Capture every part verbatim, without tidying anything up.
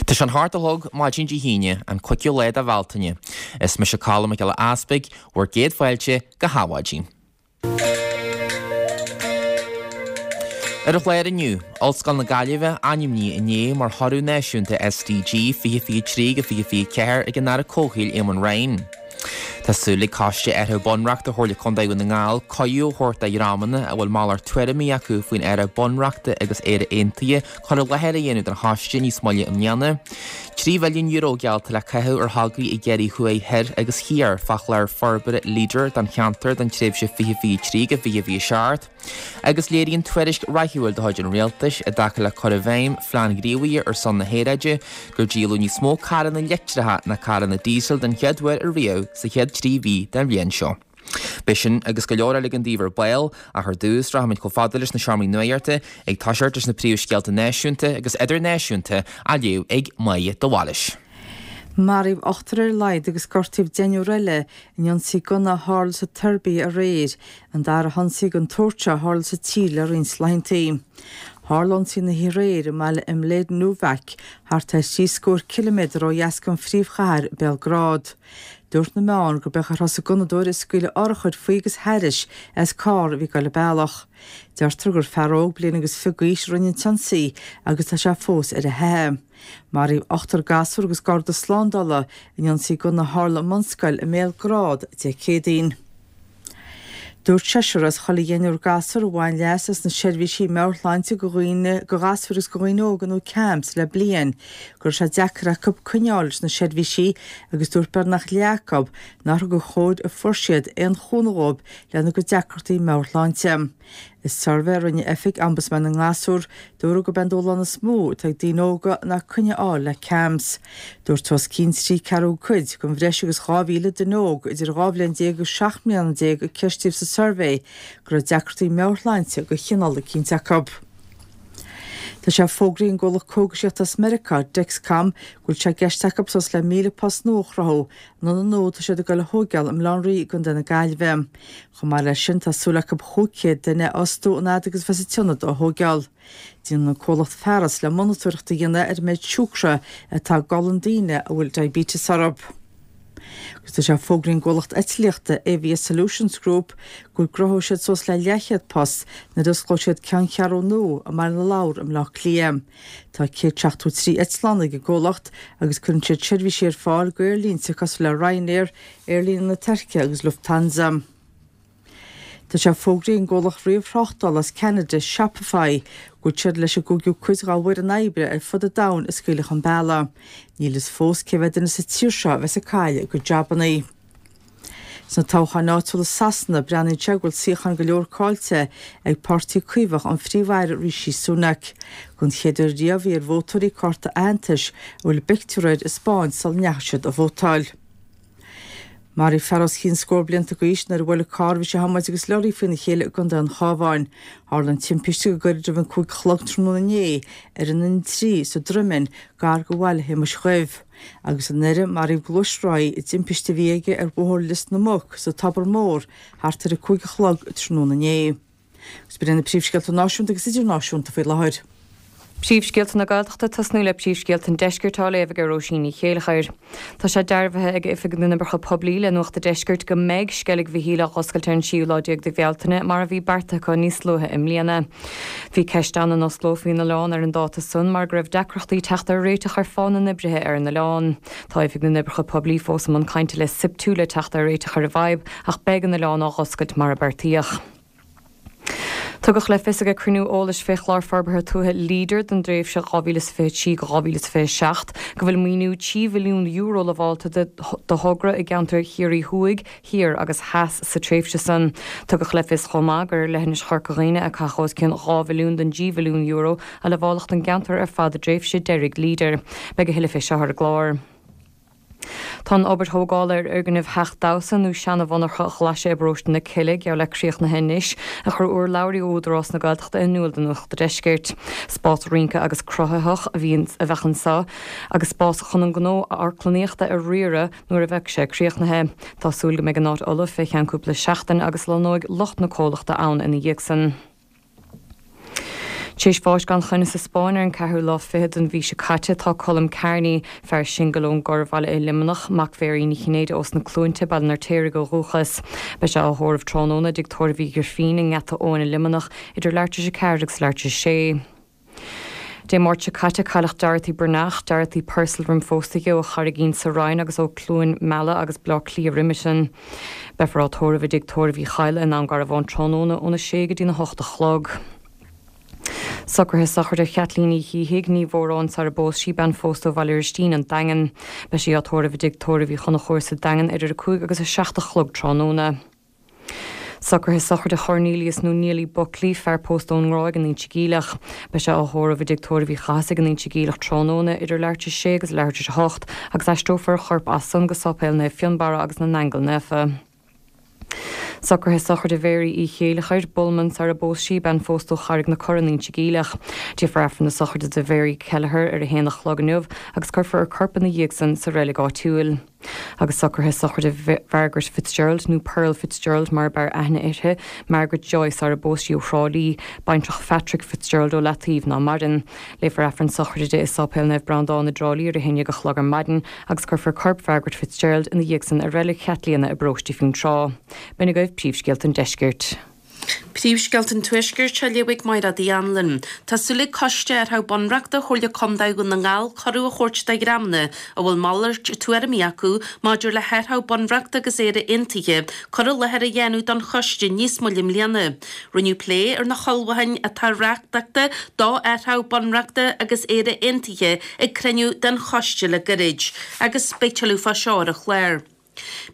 Tá sé an hocht a chlog maidin Dé hAoine, an cúigiú lá de Bhealtaine. Is mise Colm Mac Giolla Easpaig, bhur gcéad fáilte go hAdhmhaidin. Ar an chlár inniu, Ollscoil na Gaillimhe ainmnithe inné mar thoradh náisiúnta SDG fiche fiche trí go fiche fiche ceathair ag an Aire Comhshaoil Eamon Ryan. Tá súil ag Coiste Athrú Bunreachta Chomhairle Contae Dhún na nGall cuireadh a thabhairt do dhreamanna a bhfuil malairt tuairimí acu faoin athrú bunreachta agus Éire Aontaithe cur i láthair a dhéanamh don choiste níos moille i mbliana. Trí mhilliún euro geallta le caitheamh ar thograí i gCiarraí Thuaidh Thoir agus Thiar fá chlár forbartha Leader don cheantar don tréimhse fiche fiche trí go fiche fiche seacht. Agus léiríonn tuairisc rathúil de chuid an Rialtais i dtaca le cur i bhfeidhm Phlean Gníomhaithe ar son na hAeráide gur díoladh níos mó carranna leictreacha ná carranna díosail den chéad uair ariamh sa chéad trí mhí den bhliain seo. Beidh sin agus go leor eile againn daoibh ar ball, ach ar dtús rachaimid chomh fada leis na seomraí nuachta ag toiseacht leis na príomhscéalta náisiúnta agus idirnáisiúnta á léamh ag Máire de Bhailís. Maraíodh ochtar ar a laghad agus gortaíodh deichniúr eile in ionsaí gunna a tharla sa tSeirbia aréir, an dara hionsaí den tsórt seo a tharla sa tír le roinnt laethanta. Tharla ionsaí na hoíche aréir i mbaile Mladenovac, thart ar thrí scór ciliméadar ó dheas den phríomhchathair, Béalgrád. Dúirt na meáin gurb é a thosaigh gunnadóir ag scaoileadh urchair faoi agus thairis as carr a bhí ag dul an bealach. Deirtear gur fear óg bliain agus fiche d'aois a rinne an t-ionsaí agus tá sé fós ar a theitheadh. Maraíodh ochtar gasúr agus garda slándála in ionsaí gunna a tharla i mbunscoil i mBéalgrád Dé Céadaoin. Dúirt seisear as chuile dheichniúr gasúr a bhain leas as na seirbhísí meabhairshláinte do dhaoine, do ghasúir agus do dhaoine óga nó CAMHS le bliain, go raibh sé deacair acu coinneáil leis na seirbhísí agus dúirt beagnach leath acu nár thug an chóir a fuair siad aon chúnamh dhóibh lena gcuid deacrachtaí meabhairshláinte. I suirbhé a rinne Oifig Ombudsman na nGasúr, dúradh gurb é an dúshlán is mó atá ag daoine óga ná coinne a fháil le CAMHS. Dúirt os cionn trí ceathrú cuid den bhreis agus dhá mhíle duine óg idir dhá bhliain déag agus seacht mbliana déag a ceistíodh sa suirbhé go raibh deacrachtaí meabhairshláinte de chineál eicínt acu. Tá sé fógraithe ag an gcomhlacht cógaisíochta as Meiriceá, Dexcom, go bhfuil sé i gceist acu suas le míle post nua a chruthú in ionad nua atá siad ag dul a thóigeáil i mBaile Átha an Rí i gContae na Gaillimhe. Chomh maith leis sin, tá súil acu chúig chéad duine a fhostú an fhad agus a bheas an t-ionad á thóigeáil. Déanann an comhlacht fearas le monatóireacht a dhéanamh ar an méid siúcra atá i gcolainn daoine a bhfuil diabetes orthu. Agus tá sé fógraithe ag an gcomhlacht eitlíochta Avia Solutions Group go gcruthóidh siad suas le leathchéad post nuair a osclóidh siad ceanncheathrú nua i mBaile na Lobhar i mBleá Cliath. Tá céad seachtó trí eitleán ag an gcomhlacht agus cuireann siad seirbhísí ar fáil d'aerlínte cosúil le Ryanair, Aerlíne na Tuirce agus Lufthansa. Tá sé fógraithe ag an gcomhlacht ríomhthráchtála as Ceanada, Shopify, go bhfuil siad leis an gcúigiú cuid dá bhfoireann oibre ar fud an domhain a scaoileadh chun bealaigh. Níl fhios fós cé mhéad duine sa tír seo a bheas ag cailleadh a gcuid jabannaí. Sna toghcháin áitiúla i Sasana, breathnaíonn sé go bhfuil suíocháin go leor caillte ag Páirtí Caomhach an Phríomh-Aire Rishi Sunak. Don chéad uair riamh bhí ar vótóirí cárta aitheantais a bhfuil a bpictiúr air a 'spáint sula ndeachaigh siad a vótáil. Maraíodh fear os cionn scór blianta d'aois nuair a bhuail carr a bhí sé a thiomáint agus leoraí faoina chéile i gContae an Chabháin. Tharla an timpiste go gairid roimh an cúig a chlog tráthnóna inné ar an N trí sa Droimeann, gar do Bhaile Shéamuis Dhuibh. Agus anuraidh, maraíodh gluaisrothaí i dtimpiste a bhí aige ar Bhóthar Lios na Muc sa Tobar Mór thart ar a cúig a chlog tráthnóna inné. Agus b'in iad na príomhscéalta náisiúnta agus idirnáisiúnta faoi láthair. Príomhscéalta na Gaeltachta, Tosnú le príomhscéalta an Deiscirt á léamh ag Róisín Ní Chéilleachair. Tá sé dearbhaithe ag Oifig na nOibreacha Poiblí le Nuacht a' Deiscirt go mbeidh Sceilg Mhichíl á dh'oscailt ar an séú lá déag de Bhealtaine mar a bhí beartaithe acu níos luaithe i mbliana. Bhí ceist ann an osclófaí an oileán ar an dáta san mar go raibh deacrachtaí teacht ar réiteach ar phá na n-oibrithe ar an oileán. Tá Oifig na nOibreacha Poiblí fós i mbun cainte le SIPTU le teacht ar réiteach ar an bhfadhb ach beidh an oileán á dh'oscailt mar a beartaíodh. Tugadh le fios ag cruinniú eolais fé Chlár Forbartha Tuaithe Leader don dtréimhse dhá mhíle is fiche trí go dhá mhíle is fiche seacht go bhfuil maoiniú trí mhilliún euro lamhálta do thogra i gceantair Chiarraí Thuaidh, Thiar agus Theas sa tréimhse san. Tugadh le fios chomh maith gur ar leithinis Chorca Dhuibhne a caitheadh os cionn dhá mhilliún den dtrí mhilliún euro a lamháladh don gceantar ar fad i dtréimhse deiridh Leader. Beidh a thuilleadh fé seo ar an gclár. Tá an obair thógála ar fhoirgneamh Theach Damhsa nó seana-mhonarcha Ghlaise i bparóiste na Cille geall le críochnaithe anois, a chuir urlabhraí ó Údarás na Gaeltachta in iúl do Nuacht a' Deiscirt. Spás rince agus cruthaitheach a bhí a bheadh anseo agus spás chun an gnó amharclannaíochta a riaradh nuair a bheadh sé críochnaithe. Tá súil go mbeidh an áit ullamh fé cheann cúpla seachtain agus lonnóidh lucht na comhlachta ann ina dhiaidh san. Tar éis bháis gan choinne sa Spáinn ar an ceathrú lá fichead den mhí seo caite tá Colm Kearney, fear singil ón gCorrbhaile i Luimneach, mac Mhéirí Ní Chinnéide ós na Cluainte, Baile an Fheirtéaraigh ó dhúchas. Beidh sé á thórramh tráthnóna i dtigh tórraimh Uí Ghrifín i nGeata Eoin i Luimneach idir leathuair tar éis a ceathair agus leathuair tar éis a sé. Dé Máirt seo caite cailleadh Dorothy Breathnach, Dorothy Purcell roim phósadh di ó Charraigín sa Rinn agus ó Cluain Meala agus Bleá Cliath roimhe sin. Beifear á tórramh i dtigh tórraimh Uí Chadhla i nDún Garbhán tráthnóna óna sé go dtína hocht a chlog. Socruithe sochraide Chaitlín Uí Shíthigh, ní Mhóráin sara bpós sí bean phósta ó Bhaile Ristín an Daingean. Beidh sí á tórramh i dtigh tórraimh Uí Chonchúir sa Daingean idir a cúig agus a seacht a chlog tráthnóna. Socruithe sochraide Chornelius nó Neely Buckley, fear pósta ón nGráig in Inse Geimhleach. Beidh sé á thórramh i dtigh tórraimh Uí Chathasaigh in Inse Geimhleach tráthnóna idir leathuair tar éis a sé agus leathuair tar éis a hocht agus aistreofar a chorp as san go Sáipéal Naomh Fionnbarra agus na nAingeal Naofa. Socruithe sochraide Mhéirí Uí Chéileachair, Bullman sara bpós sí bean phósta ó Charraig na Cora in Inse Geimhleach. Déanfar Aifreann na sochraide do Mhéirí Kelleher ar a haon a chlog inniu agus cuirfear a corp ina dhiaidh san sa reilig áitiúil. Agus socruithe sochraide Mhargaret Fitzgerald nó Pearl Fitzgerald mar ab fhearr aithne uirthi, Margaret Joyce sara bpós sí ó Thrá Lí, baintreach Phatrick Fitzgerald ó Leataobh ná maireann. Léifear Aifreann sochraide di i Sáipéal Naomh Breandán i dTrá Lí ar a haon déag a chlog ar maidin agus cuirfear corp Mhargaret Fitzgerald ina dhiaidh san i reilig Chaitliona i bparóiste Fionntrá. B'in agaibh príomhscéalta an deiscirt. Príomhscéalta an Tuaiscirt á léamh ag Máire Uí Anluain. Tá súil ag Coiste Athraitheach Bunreachta Chomhairle Contae Dhún na nGall cuireadh a thabhairt do dhreamanna a bhfuil malairt tuairimí acu maidir le hathraitheach bunreachta agus Éire Aontaithe cur i láthair a dhéanamh don choiste níos moille i mbliana. Rinneadh plé ar na hullmhúcháin atá riachtanach do athraitheach bunreachta agus Éire Aontaithe ag cruinniú den choiste le gairid. Agus beidh tuilleadh fá seo ar an chlár.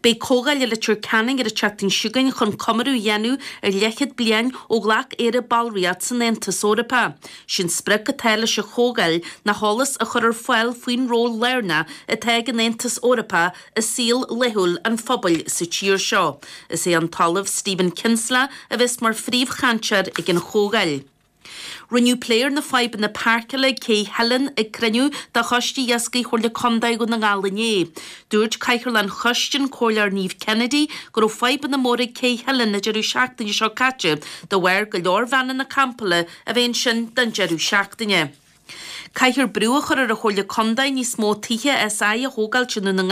Beidh comhdháil i Leitir Ceanainn ar an tseachtain seo chugainn chun comóradh a dhéanamh ar leathchéad bliain ó ghlac Éire ballraíocht san Aontas Eorpach. Sé'n sprioc atá leis an chomhdháil ná eolas a chur ar fáil faoin ról lárnach atá ag an Aontas Eorpach i saol laethúil an phobail sa tír seo. Is é an tOllamh Stephen Kinsella a bheas mar phríomhchainteoir ag an chomhdháil. Rinneadh plé ar na fadhbanna páirceála ag Cé Theilinn ag cruinniú de Choiste Iascaigh Chomhairle Contae Dhún na nGall inné. Dúirt Cathaoirleach an Choiste, an Comhairleoir Niamh Kennedy, go raibh fadhbanna móra ag Cé Theilinn an deireadh seachtaine seo caite de bharr go leor veaineanna campála a bheith ansin don deireadh seachtaine. Caithfear brú a chur ar an Chomhairle Contae níos mó tithe SI a thógáilt i nDún na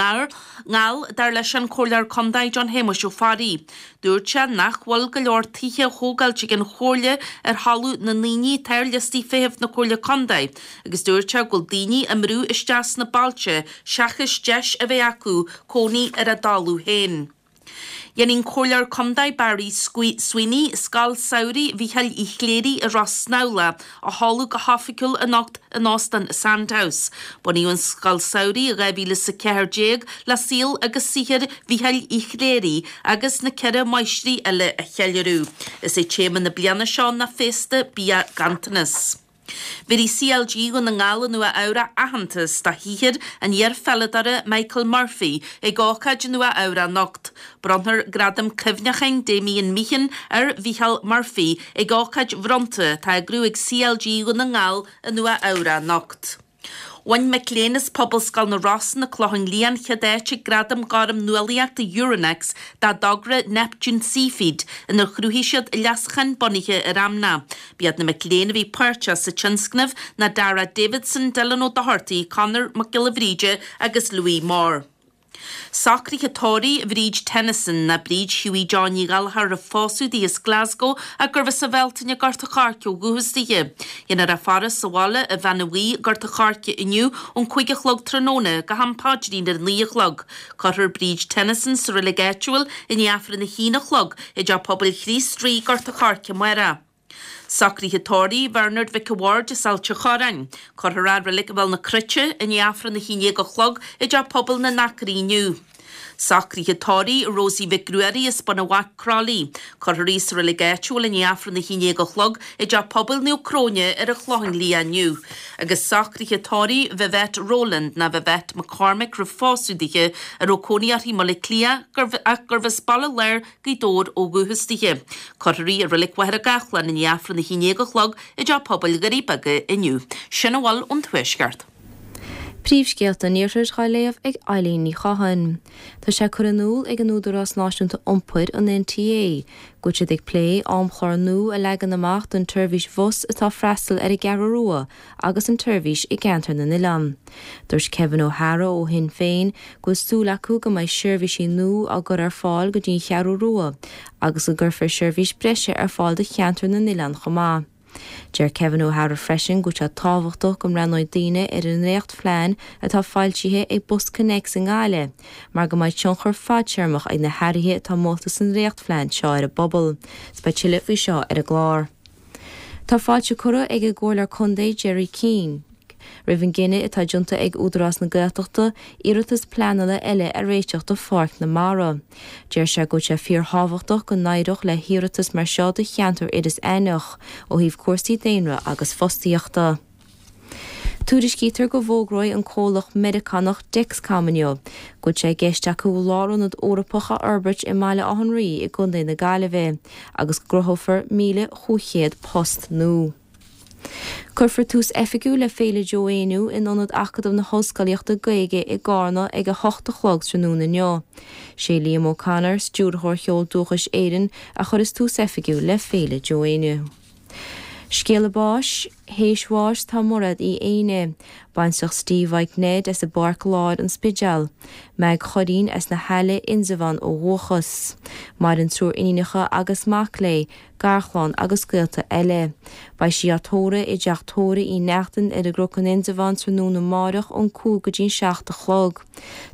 nGall, dar leis an Comhairleoir Contae John Shéamuis Ó Fearraigh. Dúirt sé nach bhfuil go leor tithe á thógáilt ag an Chomhairle ar thalamh na ndaoine atá ar liostaí feithimh na Comhairle Contae agus dúirt sé go bhfuil daoine á mbrú isteach sna bailte seachas deis a bheith acu cónaí ar a dtalamh féin. Dhéanfaidh an Comhairleoir Contae Barry Sweeney Scoil Samhraidh Mhícheáil Uí Chléirigh i Ros Snamhla a sheoladh go hoifigiúil anocht in Óstán Sandhouse. Bunaíodh an Scoil Samhraidh i dhá mhíle is a ceathair déag le saol agus saothar Mhícheáil Uí Chléirigh agus na ceithre máistrí eile a cheiliúradh. Is é téama na bliana seo ná Féasta Bia Ganntanas. Bhéarfaidh C L G Dhún na nGall i Nua Eabhrac aitheantas do shaothar an iar-pheileadóra Michael Murphy ag ócáid i Nua Eabhrac anocht. Bronnfar Gradam Cuimhneacháin Damien Meehan ar Mhichael Murphy ag ócáid bhronnta atá á eagrú ag C L G Dhún na nGall i Nua Eabhrac anocht. Bhain mic léinn as Pobalscoil na Rosann, An Clochán Liath an chéad áit ag Gradam Gorm Nuálaíochta Euronext dá dtogra Neptune Seafeed inar chruthaigh siad leasachán bunaithe ar fheamnach. B'iad na mic léinn a bhí páirteach sa tionscnamh ná Dara Davidson, Dylan Ó Dochartaigh, Conor Mac Giolla Bhríde agus Louis Moore. Socruithe tórraimh Bhríd Tennyson ná Bríd Hughie John Ní Ghallchóir roimh phósadh di as Glasgow ach gurbh as an Bhealtaine Gort a' Choirce ó dhúchas dithe. Déanfar í a faire sa bhaile i Bheanna Bhuí, Gort a' Choirce inniu ón cúig a chlog tráthnóna go ham paidrín ar a naoi a chlog. Cuirfear Bríd Tennyson sa reilig áitiúil i ndiaidh Aifreann a haon a chlog i dTeach Pobail Chríost Rí, Gort a' Choirce amárach. Socruithe tórraimh Bhernard Mhic a' Bhaird as Ailt a' Chorráin. Cuirfear é i Reilig Bhéal na Cruite i ndiaidh Aifreann a haon déag a chlog i dTeach Pobail na nAcraí inniu. Socruithe tórraimh Rosie Mhic Ruairí as Bun an Bhaic Crolly. Cuirfear í sa reilig áitiúil i ndiaidh Aifreann a haon déag a chlog i dTeach Pobail Naomh Cróine ar an Chlochán Liath inniu. Agus socruithe tórraimh Vivette Rowland ná Vivette McCormick roimh phósadh dithe a raibh cónaí uirthi i mBaile Átha Cliath ach gurbh as Baile Láir Gaoth Dobhair ó dhúchas dithe. Cuirfear í i Reilig Mhachaire Gathlán i ndiaidh Aifreann a haon déag a chlog i dTeach Pobail Dhoirí Beaga inniu. Sin a bhfuil ón Tuaisceart. Príomhscéalta an Iarthair á léamh ag Eileen Ní Chatháin. Tá sé curtha in iúl ag an Údarás Náisiúnta Iompair, an N T A, go bhfuil siad ag plé amchlár nua a leagan amach don tseirbhís bhus atá ag freastal ar an gCeathrú Rua agus an tseirbhís i gceantar na n-oileán. Dúirt Kevin O'Hara ó Shinn Féin go bhfuil súil acu go mbeidh seirbhísí nua á gcur ar fáil go dtí an Cheathrú Rua agus go gcuirfear seirbhís breise ar fáil do cheantar na n-oileán chomh maith. Deir Kevin O'Hara freisin go bhfuil sé tábhachtach go mbreathnóidh daoine ar an ndréachtphlean atá foilsithe ag BusConnects i nGaillimh, mar go mbeidh tionchar fadtéarmach ag na hathruithe atá molta san dréachtphlean seo ar an bpobal. Beidh tuilleadh faoi seo ar an gclár. Tá fáilte curtha ag an gComhairleoir Contae Jerry Keane roimh an gcinneadh atá déanta ag Údarás na Gaeltachta iarratas pleanála eile a réiteach do Pháirc na Mara. Deir sé go bhfuil sé fíorthábhachtach go n-éireodh le hiarratas mar seo do cheantar Iorras Aithneach ó thaobh cúrsaí daonra agus fostaíochta. Tuairiscítear go bhfógróidh an comhlacht Meiriceánach Dexcom inniu go bhfuil sé i gceist acu lárionad Eorpach a fhorbairt i mBaile Átha an Rí i gContae na Gaillimhe agus go gcruthófar míle cúig chéad post nua. Cuirfear tús oifigiúil le Féile Joe Éinniú in ionad Acadamh na hOllscolaíochta Gaeilge i gCarna ag a hocht a chlog tráthnóna inniu. Sé Liam O'Connor, stiúrthóir Cheol Dúchais Éireann, a chuirfeas tús oifigiúil le Féile Joe Éinniú. Scéala báis, théis bháis tá Mairéad Uí Éinne, baintreach Steve Mike Ned as an bPáirc Láir an Spidéal, Meg Choirín as na hAille Indreabhán ó dhúchas. Maireann triúr iníonacha agus mac léi, garchlann agus gaolta eile. Beidh sí á tórramh i dteach tórraimh Uí Neachtain ar an gCnoc in Indreabhán tráthnóna amárach ón cúig go dtí an seacht a chlog.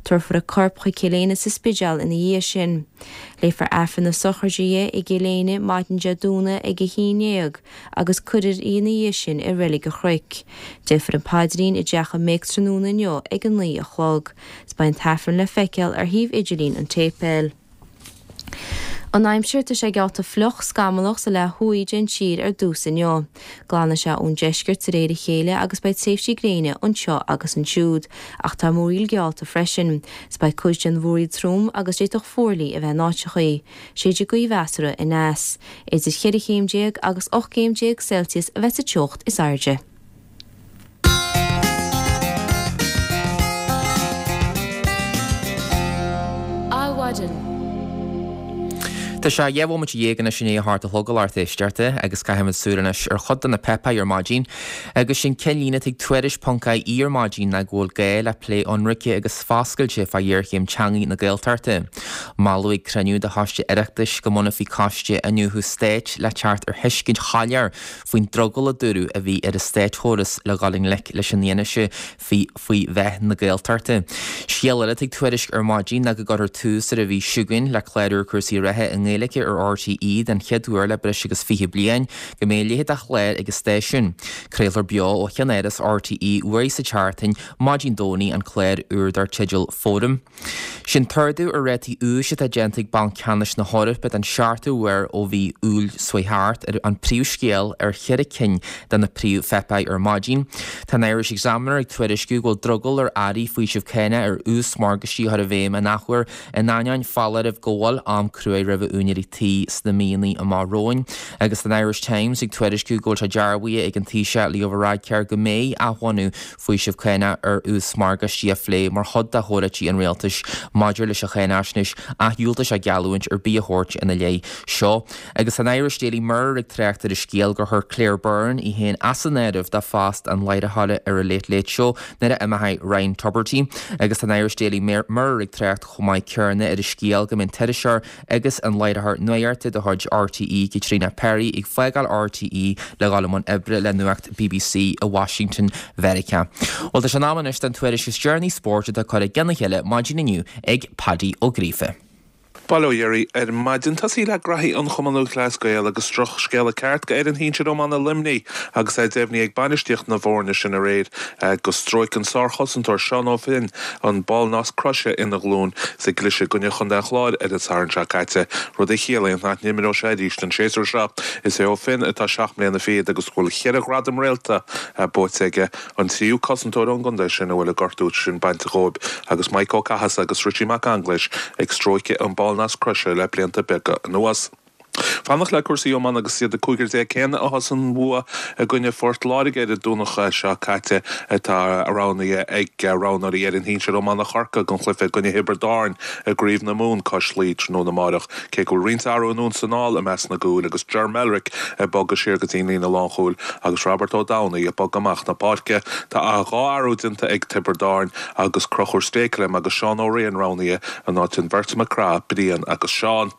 Tabharfar a corp chuig Cill Éinne sa Spidéal ina dhiaidh sin. Léifear Aifreann na sochraide di i gCill Éinne maidin Dé Domhnaigh ag a haon déag agus cuirfear í ina dhiaidh sin i Reilig an Chnoic. Déarfar an paidrín i dteach an mhic tráthnóna inniu ag a naoi a chlog. Beidh an t-aifreann le feiceáil ar shuíomh idirlín an tséipéil. An aimsir tá sé geallta fliuch scamallach sa leath thuaidh den tír ar dtús inniu. Glanfaidh sé ón deisceart de réir a chéile agus beidh tréimhsí gréine anseo agus ansiúd, ach tá múraíl geallta freisin. 'S beidh cuid den mhúraíl trom agus d'fhéadfadh fuarlaigh a bheith in áiteachaí. Séidfidh gaoth mheasartha aneas. Idir cheithre chéim déag agus ocht gcéim déag Celsius a bheidh sa teocht is airde. Adhmhaidin. Tá sé dhá bhomaite dhéag anois i ndiaidh a hocht a chlog a lucht éisteachta agus caithfimid súil anois ar chuid de na páipéir ar maidin agus sin ceannlíne atá ag Tuairisc ponc I E ar maidin ná go bhfuil gá le plé ionraice agus foscailte fá ghéarchéim teanga na Gaeltachta. Moladh ag cruinniú de choiste Oireachtais go mbunófaí coiste iniúchadh stáit le teacht ar thuiscint shoiléir faoin drogall a dúradh a bhí ar an státchóras le dhul i ngleic leis an fhianaise faoi faoi mheath na Gaeltachta. Scéal eile ag Tuairisc ar maidin ná go gcuirfear tús ar an mhí seo chugainn le clár úr cúrsaí reatha i nGaeilge ar R T E den chéad uair le breis agus fiche bliain go mbeidh a leithéid de chlár ag an stáisiún. Craolfar beo ó cheannáras R T E uair sa tseachtain maidin Domhnaigh an clár úr dar teideal Fóram. Sin t-ardú ar rátaí úis atá déanta ag Banc Ceannais na hEorpa den seachtú huair ó mhí Iúil seo thart ar an príomhscéal ar cheithre cinn de na príomhpháipéir ar maidin. Tá an Irish Examiner ag tuairisciú go bhfuil drogall ar airí faoiseamh cánach ar ús morgáistí a chur i bhfeidhm in athuair in ainneoin foláireamh go bhfuil am crua roimh úinéirí tí sna míonna amach romhainn. Agus an Irish Times ag tuairisciú go bhfuil sé dearbhaithe ag an Taoiseach Leo Varadkar go mbeidh athbhunú faoiseamh cánach ar ús morgáistí á phlé mar chuid de chomhráití an rialtais maidir leis an cháinaisnéis ach dhiúltaigh sé geallúint ar bith a thabhairt ina leith seo. Agus an Irish Daily Mirror ag trácht ar an scéal gur chuir Claire Byrne í féin as an áireamh do phost an láithreora ar an Late Late Show nuair a d'imeoidh Ryan Tubridy agus an Irish Daily Mirror ag trácht chomh maith céanna ar an scéal go mbeidh an t-iriseoir agus an láithreoir nuachta de chuid R T E Caitríona Perry ag fágáil R T E le dhul i mbun oibre le nuacht B B C i Washington Mheiriceá. Well tá sé in am anois don tuairisc is deireanaí spóirt atá curtha lena chéile maidin inniu ag Paddy Ó Gríofa. Bail ó Dhia oraibh ar maidin tosaí le graithí an Chumann Lúthchleas Gael agus drochscéala ceart go fhoireann shinsir iomána Luimnigh agus é deimhnithe ag bainistíocht na bhfoirne sin aréir go stróic an sárchosantóir Seán Ó Finn an ballnasc croise ina ghlúin sa gcluiche i gcoinne Chontae an Chláir ar an Satharn seo caite, rud a chiallaíonn nach n-imreoidh sé arís an séasúr seo. Is é Ó Finn atá seacht mbliana fichead agus bhfuil cheithre ghradam réalta buaite aige an tríú cosantóir ón gcontae sin a bhfuil an gortú sin bainte dhóibh agus Mike Ó Cathasaigh agus Richie Mac Ainglis ag stróiceadh an ballnasc croise le blianta beaga anuas. Fanacht le cúrsaí iomána agus iad an cúigear déag céanna a as an bhua i gcoinne Phort Láirge ar an Domhnach seo caite atá roghnaithe ag roghnóirí fhoireann shinsir iomána Chorcaí don chluiche i gcoinne Thiobraid Árann i gCraobh na Mumhan cois Laoi tráthnóna amárach. Cé go bhfuil roinnt athrú anonn is anall i measc na gcúil agus Ger Melrick ag bogadh siar go dtí an líne lánchúil agus Robert Ó Domhnaill ag bogadh amach na páirce. Tá dhá athrú déanta ag Tiobraid Árann agus Conchúr Stakelum agus Seán Ó Riain roghnaithe in áit an bheirt McCraith, Brian agus Seán.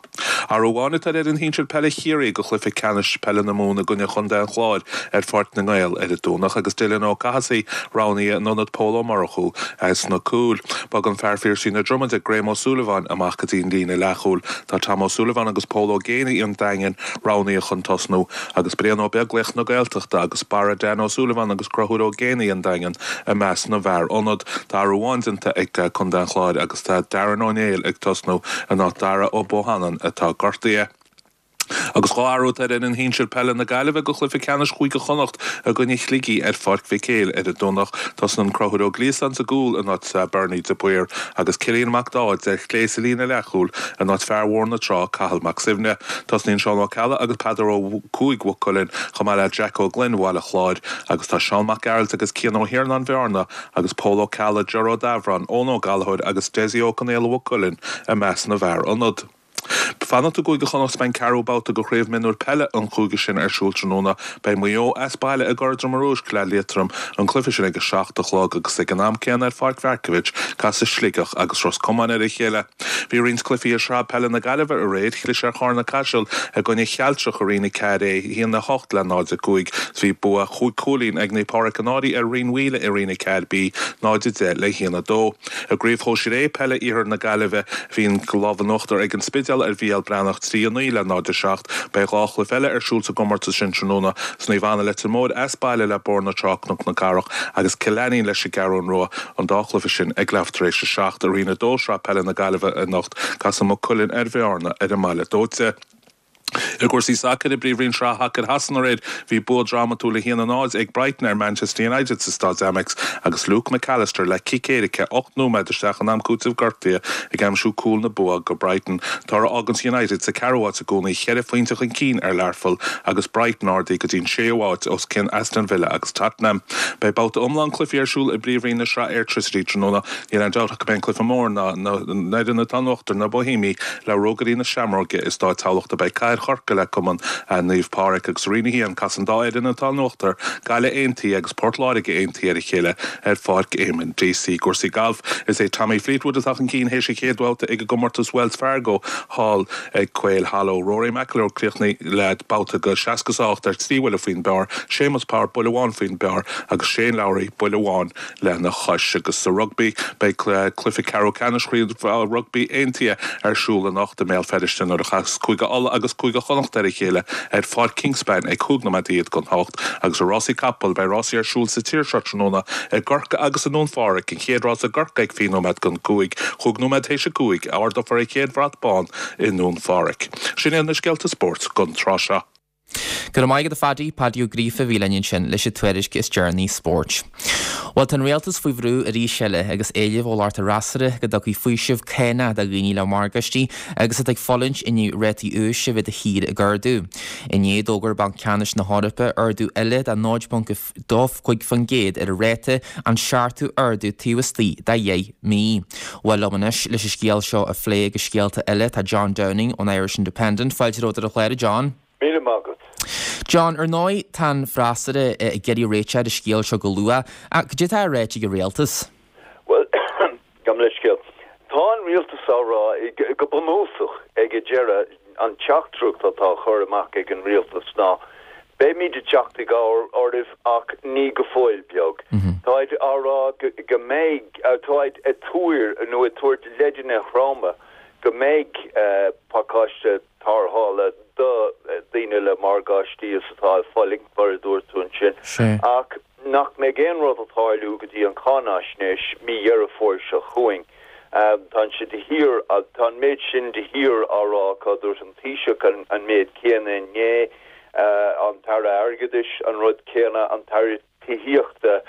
Athrú amháin atá ar fhoireann shinsir peile Chiarraí do chluiche ceannais peile na Mumhan i gcoinne Chontae an Chláir ar Pháirc na nGael ar an Domhnach agus Dylan Ó Cathasaigh roghnaithe in ionad Pól Ó Murchú sna cúil. Bogann fear Phiarsaigh na Dromoda Graham Ó Súilleabháin amach go dtí an líne leathchúil. Tá Tom Ó Súilleabháin agus Pól Ó Géibheannaigh an Daingin roghnaithe chun tosnú agus Brian Ó Beaglaoich na Gaeltachta agus Barra Dan Ó Súilleabháin agus Conchúr Ó Géibheannaigh an Daingin i measc na bhfear ionad. Tá athrú amháin déanta ag Contae an Chláir agus tá Darren Ó Néill ag tosnú in áit Dara Ó Bohannon atá gortaithe. Agus dhá athrú ar fhoireann shinsir peile na Gaillimhe do chluiche ceannais Chúige Chonnacht i gcoinne Shligigh ar Pháirc Mhic Éil ar an Domhnach. Tosaíonn Conchúr Ó Gliasáin sa gcúl in áit Bernie de Paor agus Cillian Mac Dáid ar chlé sa líne leathchúil in áit fear Bhóthar na Trá Cathal Mac Suibhne. Tosaíonn Seán Ó Ceallaigh agus Peadar Ó Cuaig Mhaigh Cuilinn chomh maith le Jack Ó Gloinn Bhaile Chláir agus tá Seán Mac Gearailt agus Cian Ó hIarnáin Bhearna agus Pól Ó Ceallaigh, Ger Ó Dabhráin, Eoin Ó Gallchóir agus Dessie Ó Conaola Mhaigh Cuilinn i measc na bhfear ionad. Fanacht i gCúige Chonnacht beidh an ceathrú babhta de chraobh mionúir peile an chúige sin ar siúl tráthnóna. Beidh Maigh Eo as baile i gCora Droma Rúisc le Liatroim an cluiche sin ag a seacht a chlog agus ag an am céanna ar Pháirc Mharkievicz casfaidh Sligeach agus Ros Comáin ar a chéile. Bhí roinnt cluichí i Sraith Peile na Gaillimhe aréir, chlis ar Charna Caiseal i gcoinne Chealtrach i Roinn a ceathair A, a haon a hocht le náid a cúig. Bhí bua chúig chúilín ag Naomh Pádraig an Fhairche ar Rinn Mhaoile i Roinn a ceathair B, náid a deich le haon a dó. I gcraobh shóisir A peile Iarthar na Gaillimhe bhí an lámh in uachtar ag an Spidéal ar Bhéal Breathnach trí a naoi le náid a seacht. Beidh dhá chluiche eile ar siúl sa gcomórtas sin tráthnóna Naomh Anna Leitir Móir as baile le Bóthar na Trá Cnoc na Cathrach agus Cill Ainnín leis an gCeathrú Rua an dá chluiche sin ag leathuair tar éis a seacht i Roinn a dó Sraith Peile na Gaillimhe anocht casfaidh Maigh Cuilinn ar Bhearna ar an mBaile Dóite. I gcúrsaí sacair i bPríomhroinn Sraith Shacair Shasana aréir bhí bua drámatúil a haon a náid ag Brighton ar Manchester United sa Staid Amex agus Luke McAllister le cic éirice ocht nóiméad isteach in am cúitimh gortaithe ag aimsiú cúl na bua go Brighton. Toradh a fháganns United sa ceathrú háit i gcónaí ceithre phointe chun cinn ar Learpholl agus Brighton ardaithe go dtí an séú háit os cionn Aston Villa agus Tottenham. Beidh babhta iomlán cluichí ar siúl i bPríomhroinn na Sraith Airtricity tráthnóna níl aon dabht go mbeidh an cluiche mór ná na foirne atá in uachtar na Boihéamaigh le Rógairí na Seamróige i Staid Thamhlachta beidh Cathair Chorcaí le Cumann Naomh Pádraig agus i Roinn a haon casfaidh an dá fhoireann atá in uachtar Gaillimh Aontaithe agus Port Láirge Aontaithe ar a chéile ar Pháirc Éamonn Deacy. I gcúrsaí gailf is é Tommy Fleetwood atá chun cinn théis an chéad bhabhta ag an gcomórtas Wells Fargo thall ag Quail Hollow. Rory McIlroy críochnaithe le babhta go seasca is a hocht ar trí bhuille faoin bpar, Séamus Power buille amháin faoin bpar agus Shane Lowry buille amháin lena chois agus sa rugby beidh cluiche ceathrú ceannais rugby aontaithe ar siúl anocht i mBéal Feirste nuair a chasas Cúige Uladh agus Cúige Chonnacht ar a chéile ar Pháirc Kingspan ag cúig nóiméad don hocht agus i rásaí capall beidh rásaí ar siúl sa tír seo tráthnóna i gCorcaigh agus i nDún Phádraig an chéad rás i gCorcaigh ag fiche nóiméad don cúig, chúig nóiméad théis a cúig ardófar an chéad bhrat bán i nDún Phádraig. Sin iad na scéalta spóirt don tráth seo. Go raibh maith agat a Phaddy Paddy Ó Gríofa a bhí linn ansin leis an tuairisc is deireanaí spóirt. Well tá an rialtas faoi bhrú arís eile agus éileamh ó lucht an fhreasúra go dtugfaí faoiseamh cánach do dhaoine le morgáistí agus atá ag fulaingt i ndiaidh rátaí úis a bheith de shíor ag ardú. Inné d'fhógair Banc Ceannais na hEorpa ardú eile de náid ponc dó cúig faoin gcéad ar a ráta an seachtú ardú taobh istigh de dheich mí. Well liom anois leis an scéal seo a phlé agus scéalta eile tá John Downing ón Irish Independent fáilte romhat ar an chlár John. Míle maith agat. John ar ndóigh tá an freasúra ag iarraidh réiteach ar an scéal seo go luath, cad é atá ráite ag an rialtas. Well gabh mo leithscéal. Tá an rialtas á rá go bunúsach ag an deireadh an teachtaireacht atá curtha amach ag an rialtas ná beimid ag teacht i gcabhair oraibh ach ní go fóill beag. Táid á rá go mbeidh táid ag tuar nó ag tabhairt leideanna throma go mbeidh pacáiste tarrthála do daoine le morgáistí is atá ag fulaingt mar a dúirt tú ansin ach nach mbeidh aon rud ag tarlú go dtí an cháinaisnéis mí Dheireadh Fómhair seo chugainn. Tá sé de shíor tá an méid sin de shíor á rá acu dúirt an Taoiseach an, an méid céanna inné an tAire Airgeadais an rud céanna an tAire Tithíochta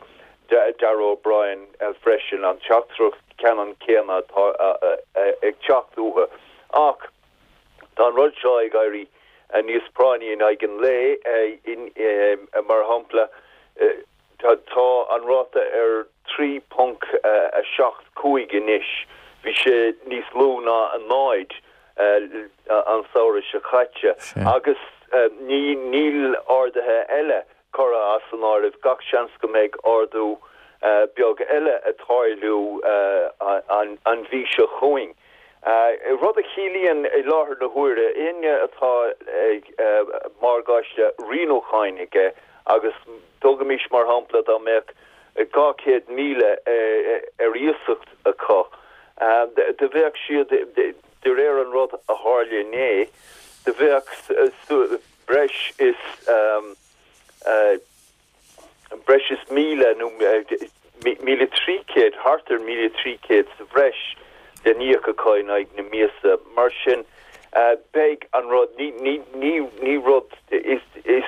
Darragh O'Brien freisin an teachtaireacht ceannann céanna atá ag teacht uathu ach tá an rud seo ag éirí níos práinní in aghaidh an lae, mar shampla, tá an ráta ar trí ponc a seacht cúig anois, bhí sé níos lú ná a náid an samhradh seo caite, agus níl arduithe eile curtha as an áireamh, gach seans go mbeidh ardú beag eile ag tarlú an mhí seo chugainn. Rud a chiallaíonn i láthair na huaire, éinne atá morgáiste rianúcháin aige, agus tógaimis mar shampla dá mbeadh dhá chéad míle ar iasacht acu, do bheadh siad, de réir an rud a tharla inné, do bheadh breis is breis is míle nó míle trí chéad, thart ar míle trí chéad sa bhreis le n-íoc acu in aghaidh na míosa. Mar sin, beidh an rud, ní, ní, ní, ní rud, is, is,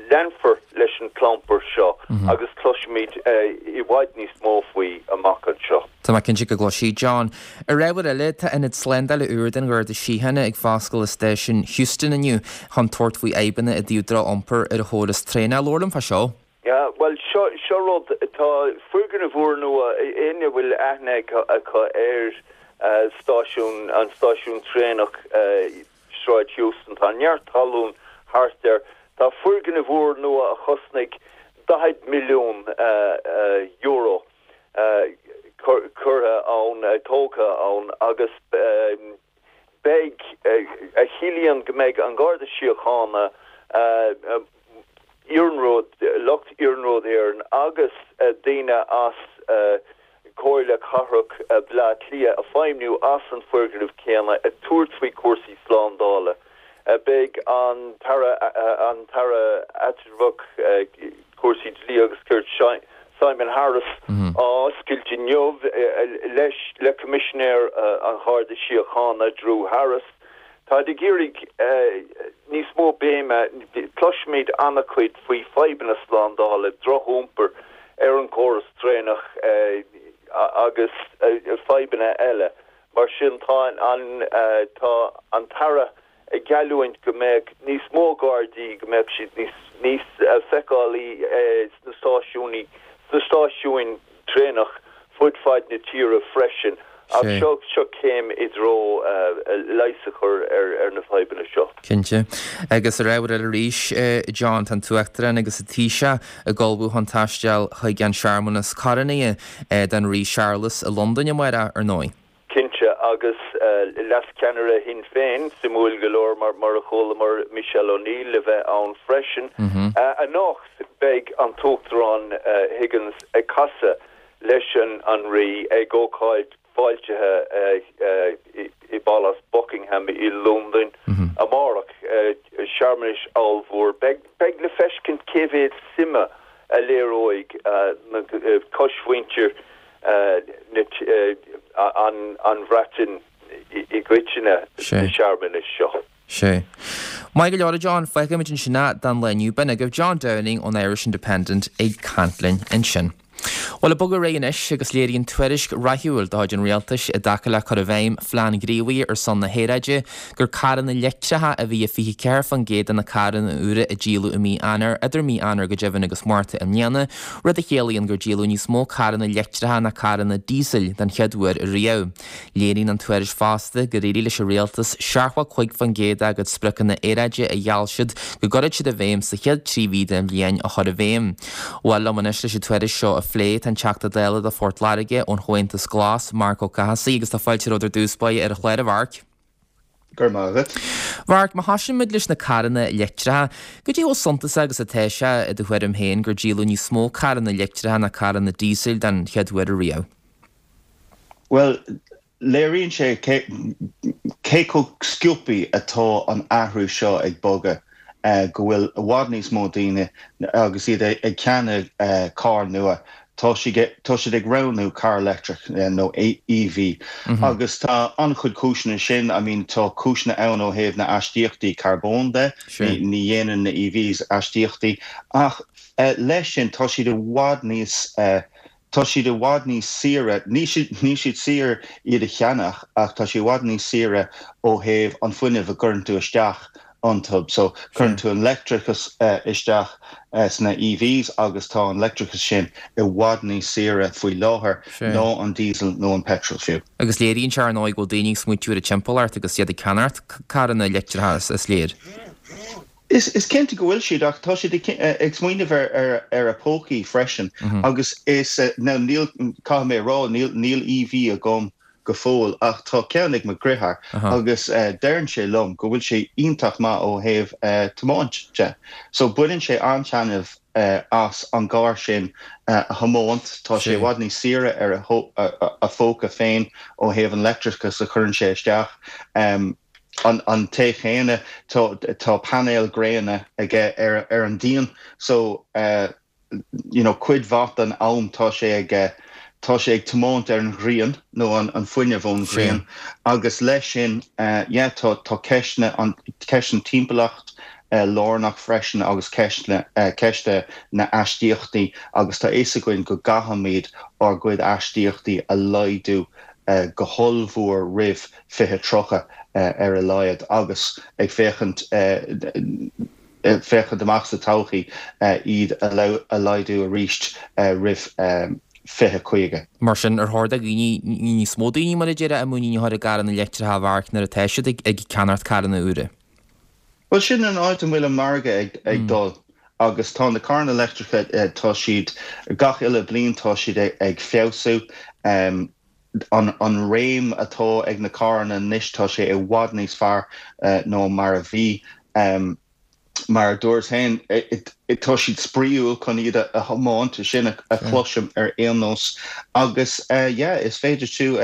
leanfar leis an gclampar seo agus cloisfimid i bhfad níos mó faoi amach anseo. Tá mé cinnte go gcloisfidh, John. Ar ábhar eile, tá ionad slándála úr den Gharda Síochána ag foscailt i stáisiún Heuston inniu chun tabhairt faoi fhadhbanna i dtaobh droch-iompar ar an chóras traenach. Labhair liom fá seo. Yeah, bhuel, seo, seo rud, tá foirgneamh úrnua, éinne a bhfuil aithne acu ar stáisiún, an stáisiún traenach Sráid Heuston, tá neart talún thart air. Tá foirgneamh úrnua a chosnaigh daichead milliún euro curtha ann, tógtha ann agus beidh, a chiallaíonn go mbeidh an Garda Síochána, Iarnród, lucht Iarnród Éireann agus daoine as Comhairle Cathrach Bhaile Átha Cliath ag feidhmiú as an foirgneamh céanna ag tabhairt faoi chúrsaí slándála. Beidh an tAire an tAire Eatramhach Cúrsaí Dlí agus Cirt Simon Harris á oscailt inniu leis le Coimisinéir an Gharda Síochána Drew Harris. Táid ag iarraidh níos mó béime, cloisimid an-chuid faoi fadhbanna slándála, drochiompar ar an gcóras traenach agus fadhbanna eile. Mar sin tá an tá an tAire ag geallúint go mbeadh níos mó Gardaí, go mbeadh siad níos níos feiceálaí sna stáisiúin sna stáisiúin traenach fud fad na tíre freisin. Ach seo seo céim i dtreo leigheas a chur ar ar na fadhbanna seo. Cinnte. Agus ar ábhar eile arís, John, tá an tUachtarán agus an Taoiseach ag ullmhú chun taisteal chuig an searmanas coronachta don Rí Séarlas i Londain amárach, ar ndóigh. Cinnte, agus leascheannaire Shinn Féin, suimiúil go leor mar mar a chualamar Michelle O'Neill le bheith ann freisin. Anocht beidh an tUachtarán Higgins ag casadh leis an an Rí ag ócáid fáiltithe i bPálás Buckingham i Londain amárach, searmanais ollmhór. Beidh beidh le feiscint cé mhéad suime a léireoidh na cosmhuintir an an Bhreatain i gcoitinne sna searmanais seo. Sea. Maith go leor, a John, fágfaimid ansin é don lá inniu. B'in agaibh John Downing ón Irish Independent ag caint linn ansin. Bhuel, ag bogadh ar aghaidh anois agus léiríonn tuairisc rathúil de chuid an Rialtais i dtaca le cur i bhfeidhm Phlean Gníomhaithe ar son na hAeráide gur carranna leictreacha a bhí i fiche ceathair faoin gcéad de na carranna úra a díoladh i mí Eanáir, idir mí Eanáir go deimhin agus Márta i mbliana, rud a chiallaíonn gur díoladh níos mó carranna leictreacha ná carranna díosail den chéad uair riamh. Léiríonn an tuairisc fosta gur éirigh leis an Rialtas seachtó a cúig faoin gcéad dá gcuid spriocanna aeráide a gheall siad go gcuirfeadh siad i bhfeidhm sa chéad trí mhí den bhliain a chur i bhfeidhm. Bhuel, liom anois leis an tuairisc seo a phlé, tá an Teachta Dála do Phort Láirge ón Chomhaontas Glas, Marc Ó Cathasaigh, agus tá fáilte romhat ar dtús báire ar an chlár, a Mharc. Go raibh maith agat. Mharc, má thosaíonn muid leis na carranna leictreacha, goidé chomh suntasach agus atá sé i do thuairim féin gur díoladh níos mó carranna leictreacha ná carranna díosail den chéad uair ariamh? Bhuel, léiríonn sé cé chomh sciobtha atá an athrú seo ag bogadh, go bhfuil i bhfad níos mó daoine agus iad ag ceannach carr nua, tá siad ag roghnú carr leictreach nó E V agus tá an-chuid cúiseanna sin, I mean tá cúiseanna ann ó thaobh na aistíochtaí carbóin de, ní dhéanann na E Vs aistíochtaí ach leis sin tá siad i bhfad níos tá siad i bhfad níos saoire, níl siad saor iad a cheannach ach tá siad i bhfad níos saoire ó thaobh an fuinneamh a gcuireann tú isteach iontu. So cuireann tú an leictreachas isteach sna EVs agus tá an leictreachas sin i bhfad níos saoire faoi láthair ná an diesel nó an petrol fiú. Agus léiríonn sé ar ndóigh go bhfuil daoine ag smaointiú ar a dtimpeallacht agus iad ag ceannacht carranna leictreacha is léir. Is is cinnte go bhfuil siad ach tá siad ag smaoineamh ar ar ar a pócaí freisin agus is now níl caithfidh mé a rá níl níl EV agam go fóill ach tá ceann ag mo dheartháir agus deireann sé liom go bhfuil sé iontach maith ó thaobh tiomáint de. So baineann sé an-taitneamh as an gcarr sin a thiomáint, tá sé i bhfad níos saoire ar a phóca féin ó thaobh an leictreachas a chuireann sé isteach. An an té chéanna tá painéil gréine aige ar ar an díon so you know cuid mhaith den am tá sé ag tá sé ag tiomáint ar an ghrian nó an an fuinneamh ón ghrian agus leis sin yeah tá tá ceist na an ceist an timpeallacht lárnach freisin agus ceist na ceist na n-astaíochtaí agus tá fhios againn go gcaithfimid ár gcuid astaíochtaí a laghdú go hollmhór roimh fiche tríocha ar a laghad agus ag féachaint féachaint amach sa todhchaí iad a laghdú arís roimh fiche caoga. Mar sin, ar chóir do dhaoine, níos mó daoine mar a déarfá, a muinín a chur i gcarranna leictreacha a mharc nuair atá siad ag ceannacht carranna úra? Bhuel, sin an áit a bhfuil an margadh ag dul agus tá na carranna leictreacha, tá siad, gach uile bliain tá siad ag feabhsú. An an réim atá ag na carranna anois, tá sé i bhfad níos fearr ná mar a bhí. Mar a dúras féin, tá siad spraíúil chun iad a thiomáint, sin a chloisim ar aon nós. Agus yeah, is féidir tú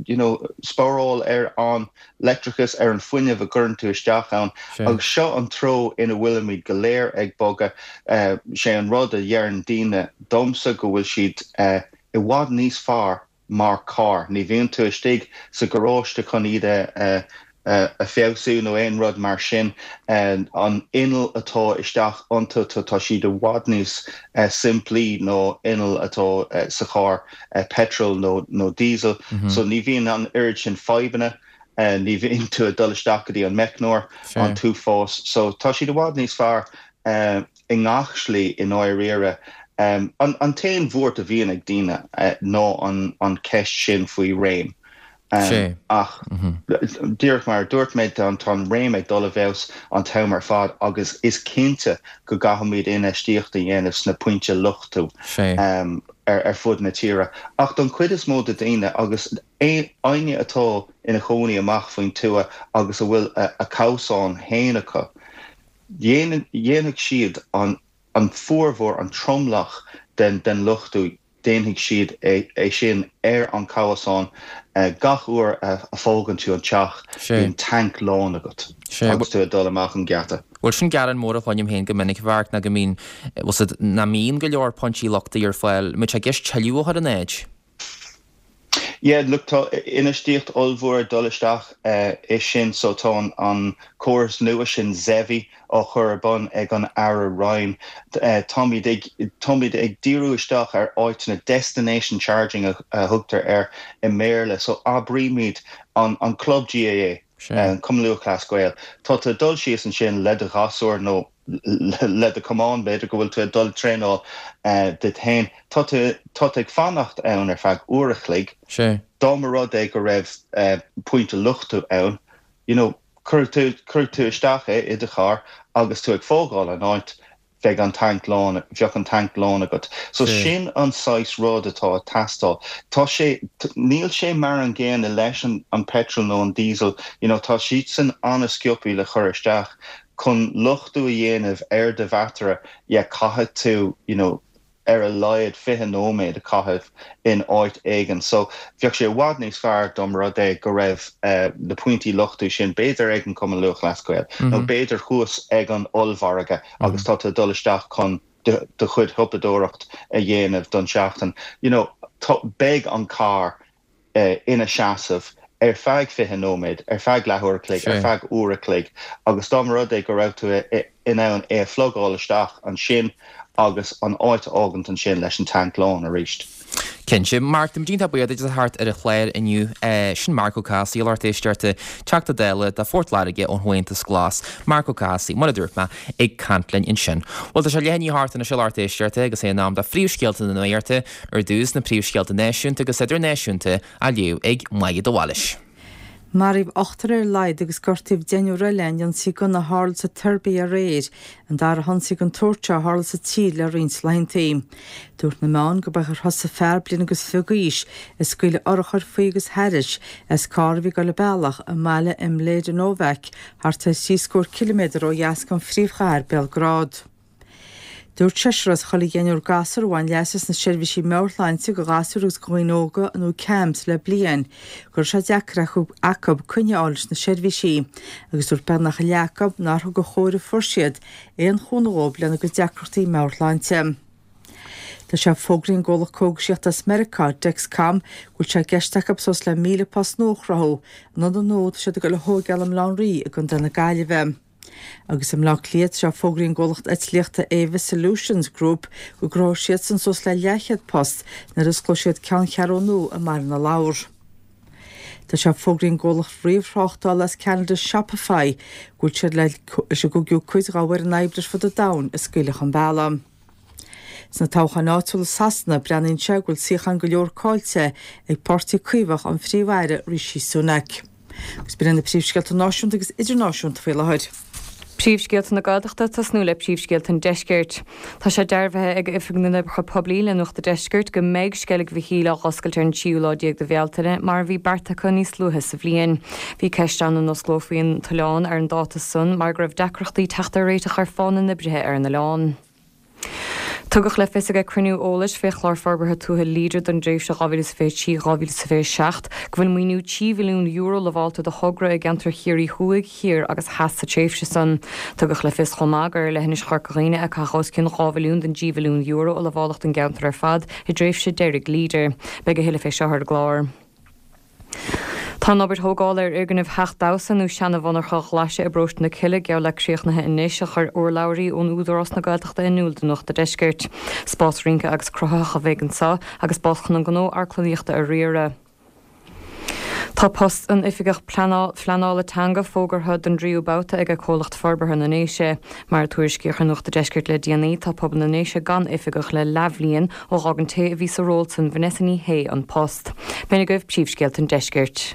you know spáráil ar an leictreachas, ar an fuinneamh a gcuireann tú isteach ann. Agus seo an treo ina bhfuilimid go léir ag bogadh. Sé an rud a dheireann daoine domsa go bhfuil siad i bhfad níos fearr mar carr. Ní bhíonn tú istigh sa gharáiste chun iad a a feabhsú nó aon rud mar sin. An inneall atá isteach iontu, tá siad i bhfad níos simplí ná inneall atá sa charr petrol nó nó diesel. So ní bhíonn an oiread sin fadhbanna, ní bhíonn tú ag dul isteach go dtí an meicneoir an t-uafás. So tá siad i bhfad níos fearr i ngach slí i ndáiríre. An t-aon bhuairt a bhíonn ag daoine ná an ceist sin faoi réim. Ach díreach mar a dúirt mé, tá an réim ag dul i bhfeabhas an t-am ar fad agus is cinnte go gcaithfimid infheistíocht a dhéanamh sna pointe luchtú ar fud na tíre. Ach don chuid is mó de daoine agus éinne atá ina chónaí amach faoin tuath agus a bhfuil a cabhsán féin acu, dhéanfaidh siad an an formhór, an tromlach den den luchtú, déanfaidh siad é sin ar an cabhsán gach uair a fhágann tú an teach, bíonn tanc lán agat agus tú ag dul amach an geata. Bhuel, sin gearán mór a chluinim féin go minic, a Mharc, ná go mbíonn, bhfuil 's a'd, nach mbíonn go leor pointí luchtaithe ar fáil. An mbeidh sé i gceist tuilleadh a chur in áit? Yeah, look, tá infheistíocht ollmhór ag dul isteach i sin, so tá an córas nua sin ZEVI á chur ar bun ag an Aire Ryan. Táimid ag táimid ag díriú isteach ar áiteanna destination charging a thugtar air i mBéarla, so abraímid an an club GAA, an Cumann Lúthchleas Gael, tá tú ag dul síos ansin le do ghasúr nó le do chamán, b'fhéidir go bhfuil tú ag dul traenáil duit féin. Tá tú tá tú ag fanacht ann ar feadh uair a chloig. Dá mba rud é go raibh pointe luchtú ann, you know, cuirfidh tú cuirfidh tú isteach é i do charr agus tú ag fágáil an áit, bheidh an tanc lán, bheadh an tanc lán agat. So sin an saghas rud atá ag teastáil. Tá sé, níl sé mar an gcéanna leis an an petrol nó an diesel, you know, tá siadsan an-sciobthaí le chur isteach. Chun luchtú a dhéanamh ar do bhataire, yeah, caithfidh tú, you know, ar a laghad fiche nóiméad a chaitheamh in áit éigin. So, bheadh sé i bhfad níos fearr dá mba rud é go raibh na pointí luchtú sin b'fhéidir ag an Cumann Lúthchleas Gael nó b'fhéidir thuas ag an ollmhargadh agus tá tú ag dul isteach chun do chuid shiopadóireacht a dhéanamh don seachtain. You know, beidh an carr ina seasamh ar feadh fiche nóiméad, ar feadh leathuair a chloig, ar feadh uair a chloig agus dá mba rud é go raibh tú in ann é a phlugáil isteach ansin agus an áit a fhágaint ansin leis an tanc lán arís. Cinnte, Mark, táimid iontach buíoch duit as a theacht ar an chlár inniu. Sin Marc Ó Cathasaigh, lucht éisteachta, Teachta Dála do Phort Láirge ón Chomhaontas Glas. Marc Ó Cathasaigh, mar a dúirt mé, ag caint linn ansin. Bhuel, tá sé leath i ndiaidh a hocht anois a lucht éisteachta agus é in am do phríomhscéalta na nuachta, ar dtús na príomhscéalta náisiúnta agus idirnáisiúnta á léamh ag Máire de Bhailís. Maraíodh ochtar ar a laghad agus gortaíodh deichniúr eile in ionsaí gunna a tharla sa tSeirbia aréir, an dara hionsaí den tsórt seo a tharla sa tír le roinnt laethanta. Dúirt na meáin go b'é gur thosaigh fear bliain agus fiche d'aois ag scaoileadh urchar faoi agus thairis as carr a bhí ag dul a bealach i mbaile i Mladenovac, thart ar thrí scór ciliméadar ó dheas den phríomhchathair Béalgrád. Dúirt seisear as chuile dheichniúr gasúr a bhain leas as na seirbhísí meabhairshláinte do ghasúir agus do dhaoine óga nó CAMHS le bliain go raibh sé deacair acu coinne a fháil leis na seirbhísí agus dúirt beagnach a leath acu nár thug an chóir a fuair siad aon chúnamh dóibh lena gcuid deacrachtaí meabhairshláinte. Tá sé fógraithe ag an gcomhlacht cógaisíochta as Meiriceá, Dexcom, go bhfuil sé i gceist acu suas le míle post nua a chruthú in ionad nua atá siad ag dul a thóigeáil i mBaile Átha an Rí i gContae na Gaillimhe. Agus i mBleá Cliath, tá sé fógraithe ag an gcomhlacht eitlíochta Avis Solutions Group go gcruthóidh siadsan suas le leathchéad post nuair a osclóidh siad ceanncheathrú nua i mBaile na Lobhar. Tá sé fógraithe ag an gcomhlacht ríomhthráchtála as Ceanada Shopify go bhfuil siad leis an gcúigiú cuid dá bhfoireann oibre ar fud an domhain a scaoileadh chun bealaigh. Sna toghcháin áitiúla i Sasana, breathnaíonn sé go bhfuil suíocháin go leor caillte ag Páirtí Caomhach an Phríomh-Aire Rishi Sunak. Agus b'in iad na príomhscéalta náisiúnta agus idirnáisiúnta faoi láthair. Príomhscéalta na Gaeltachta, tosnú le príomhscéalta an Deiscirt. Tá sé dearbhaithe ag Oifig na nOibreacha Poiblí le Nuacht a' Deiscirt go mbeidh Sceilg Mhichíl á dh'oscailt ar an tríú lá déag de Bhealtaine mar a bhí beartaithe acu níos luaithe sa bhliain. Bhí ceist ann an osclófaí an t-oileán ar an dáta san mar go raibh deacrachtaí teacht ar réiteach ar phá na n-oibrithe ar an oileán. Tugadh le fios ag cruinniú eolais fé Chlár Forbartha Tuaithe Leader don dtréimhse dhá mhíle is fiche trí dhá mhíle is fiche seacht go bhfuil maoiniú trí mhilliún euro lamhálta do thogra i gceantar Chiarraí Thuaidh, Thiar agus Theas sa tréimhse san. Tugadh le fios chomh maith gur ar leithinis Chorca Dhuibhne a caitheadh os cionn dhá mhilliún den dtrí mhilliún euro a lamháladh don gceantar ar fad i dtréimhse deiridh Leader. Beidh a thuilleadh fé seo ar an gclár. Tá an obair thógála ar fhoirgneamh Theach Damhsa nó seana-mhonarcha Ghlaise i bParóiste na Cille geall le críochnaithe anois, a chuir urlabhraí ón Údarás na Gaeltachta in iúl do Nuacht a' Deiscirt. Spás rince agus cruthaitheach a bheidh anseo agus spás chun an gnó amharclannaíochta a riaradh. Tá post an Oifigeach Phleanála Teanga fógartha don dtríú babhta ag Comhlacht Forbartha na nDéise. Mar a tuairiscíodh ar Nuacht a' Deiscirt le déanaí, tá pobal na nDéise gan oifigeach le leathbhliain ó dh'fhág an té a bhí sa ról san, Vanessa Ní Shé, an post. B'in agaibh príomhscéalta an Deiscirt.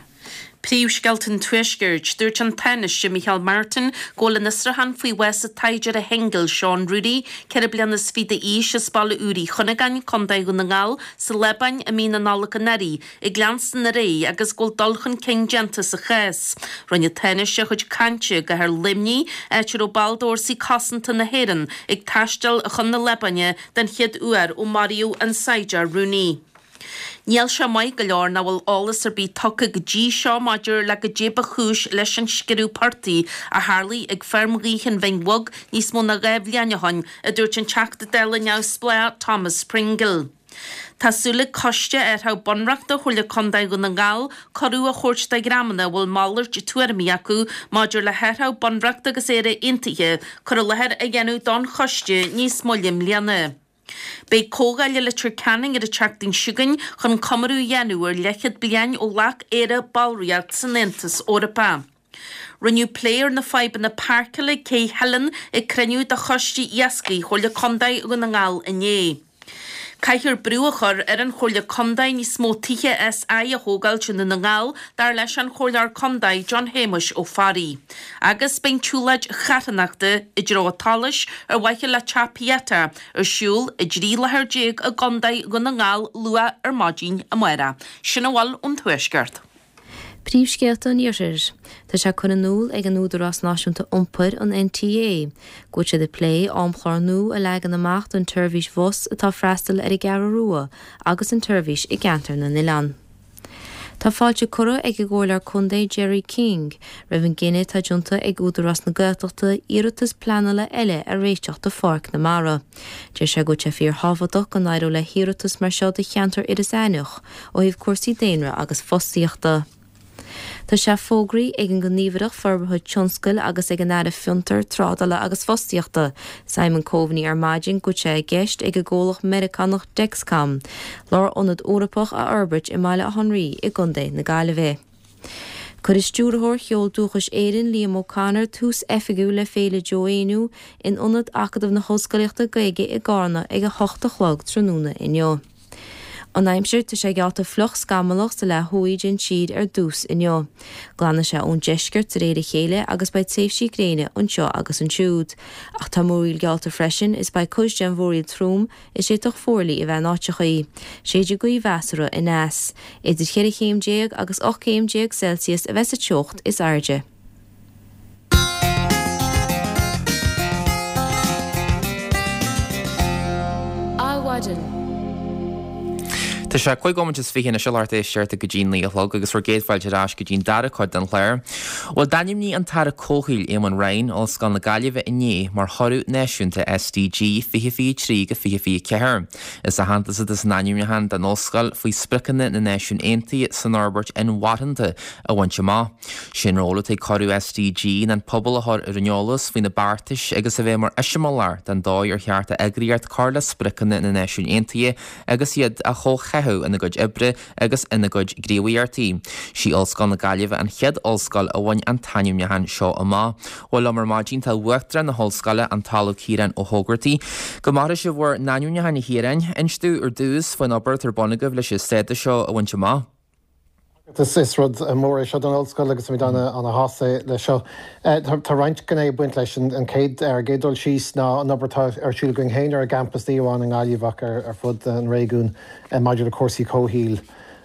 Príomhscéalta an Tuaiscirt, Dúirt an Tánaiste Micheál Martin go bhfuil an fhiosrúchán faoi bhás an tsaighdiúra shingil Seán Rooney, ceithre bliana is fiche d'aois, as Baile Úr Uí Chuinneagáin, Contae Dhún na nGall, sa Liobáin i mí na Nollag anuraidh, ag leanstan ar aghaidh agus go bhfuil dul chun cinn déanta sa chás. Rinne an Tánaiste a chuid cainte i gcathair Luimnigh, áit a raibh baill d'Fhórsaí Cosanta na hÉireann ag taisteal chun na Liobáine den chéad uair ó maraíodh an saighdiúir Rooney. Níl sé maith go leor nach bhfuil eolas ar bith tugtha go dtí seo maidir le goidé ba chúis leis an sciorradh portaigh a tharlaigh ag feirm ghaoithe an Bhinn Bheag níos mó ná dhá bhliain ó shin, a dúirt an Teachta Dála neamhspleách Thomas Pringle. Tá súil ag Coiste Athraitheach Bunreachta Chomhairle Contae Dhún na nGall cuireadh a thabhairt do dhreamanna a bhfuil malairt tuairimí acu maidir le hathraitheach bunreachta agus Éire Aontaithe cur i láthair a dhéanamh don choiste níos moille i mbliana. Beidh comhdháil i Leitir Ceanainn ar an tseachtain seo chugainn chun comóradh a dhéanamh ar leathchéad bliain ó ghlac Éire ballraíocht san Aontas Eorpach. Rinneadh plé ar na fadhbanna páirceála ag Cé Theileann ag cruinniú de Choiste Iascaigh Chomhairle Contae Dhún na nGall inné. Caithfear brú a chur ar an Chomhairle Contae níos mó tithe SI a thógáilt i nDún na nGall, dar leis an Chomhairleoir Contae John Shéamuis Ó Fearraigh. Agus beidh an tsiúlóid charthanachta i dtreo an tSolais ar mhaithe le Teach Pieta ar siúl i dtrí láthair déag i gContae Dhún na nGall luath ar maidin amárach. Sin a bhfuil ón Tuaisceart. Príomhscéalta an Iarthair. Tá sé curtha in iúl ag an Údarás Náisiúnta Iompair, an N T A, go bhfuil siad ag plé amchlár nua a leagan amach don tseirbhís bhus atá ag freastal ar an gCeathrú Rua agus an tseirbhís i gceantar na n-oileán. Tá fáilte curtha ag an gComhairleoir Contae Gerry King roimh an gcinneadh atá déanta ag Údarás na Gaeltachta iarratas pleanála eile a réiteach do Pháirc na Mara. Deir sé go bhfuil sé fíorthábhachtach go n-éireodh le hiarratas mar seo do cheantar Iorras Aithneach ó thaobh cúrsaí daonra agus fostaíochta. Tá sé fógraithe ag an nGníomhaireacht Forbartha Tionscail agus ag an Aire Fiontar, Trádála agus Fostaíochta, Simon Coveney ar maidin go bhfuil sé i gceist ag an gcomhlacht Meiriceánach Dexcom, lárionad Eorpach a fhorbairt i mBaile Átha an Rí i gContae na Gaillimhe. Cuirfidh Stiúrthóir Cheol Dúchais Éireann Liam O'Connor tús oifigiúil le Féile Joe Éinniú in Ionad Acadamh na hOllscolaíochta Gaeilge i gCarna ag a hocht a chlog tráthnóna inniu. An aimsir, tá sé geallta fliuch scamallach sa leath thuaidh den tír ar dtús inniu. Glanfaidh sé ón deisceart de réir a chéile agus beidh tréimhsí gréine anseo agus ansiúd. Ach tá múraíl geallta freisin is beidh cuid den mhúraíl trom is d'fhéadfadh fuarlaigh a bheith in áiteachaí. Séidfidh gaoth mheasartha aneas. Idir cheithre chéim déag agus ocht gcéim déag Celsius a bheas an teocht is airde. Adhmhaidin. Tá sé cúig nóiméad is fiche anois a lucht éisteachta go dtí naoi a chlog agus bhur gcéad fáilte ar ais go dtí'n dara cuid den chlár. Bhuel, d'ainmnigh an tAire Comhshaoil Éamon Ryan Ollscoil na Gaillimhe inné mar thoradh náisiúnta SDG fiche fiche trí go fiche fiche ceathair. Is aitheantas atá san ainmniúchán don ollscoil faoi spriocanna na Náisiún Aontaithe san fhorbairt inmharthana a bhaint amach. Sé'n ról atá ag curadh SDG ná an pobal a chur ar an eolas faoi na beartais agus a bheith mar eiseamláir den dóigh ar cheart d'eagraíocht cur le spriocanna na Náisiún Aontaithe agus iad a chomhtháthú ina gcuid oibre agus ina gcuid gníomhaíochtaí. Sí Ollscoil na Gaillimhe an chéad ollscoil a bhain an t-ainmniúchán seo amach. Bhuel liom ar maidin tá Uachtarán na hOllscoile, an tOllamh Ciarán Ó hÓgartaigh. Go maire sibh bhur n-ainmniúchán a Chiaráin. Inis dúinn ar dtús faoin obair atá ar bun agaibh leis an stádas seo a bhaint amach. Is rud mór é seo don ollscoil agus táimid ana-shásta leis seo. Tá roinnt gné ag baint leis. An chéad ar an gcéad dul síos ná an obair atá ar siúl againn féin ar an gcampas, ní amháin i nGaillimh ach ar fud an réigiúin maidir le cúrsaí comhshaoil,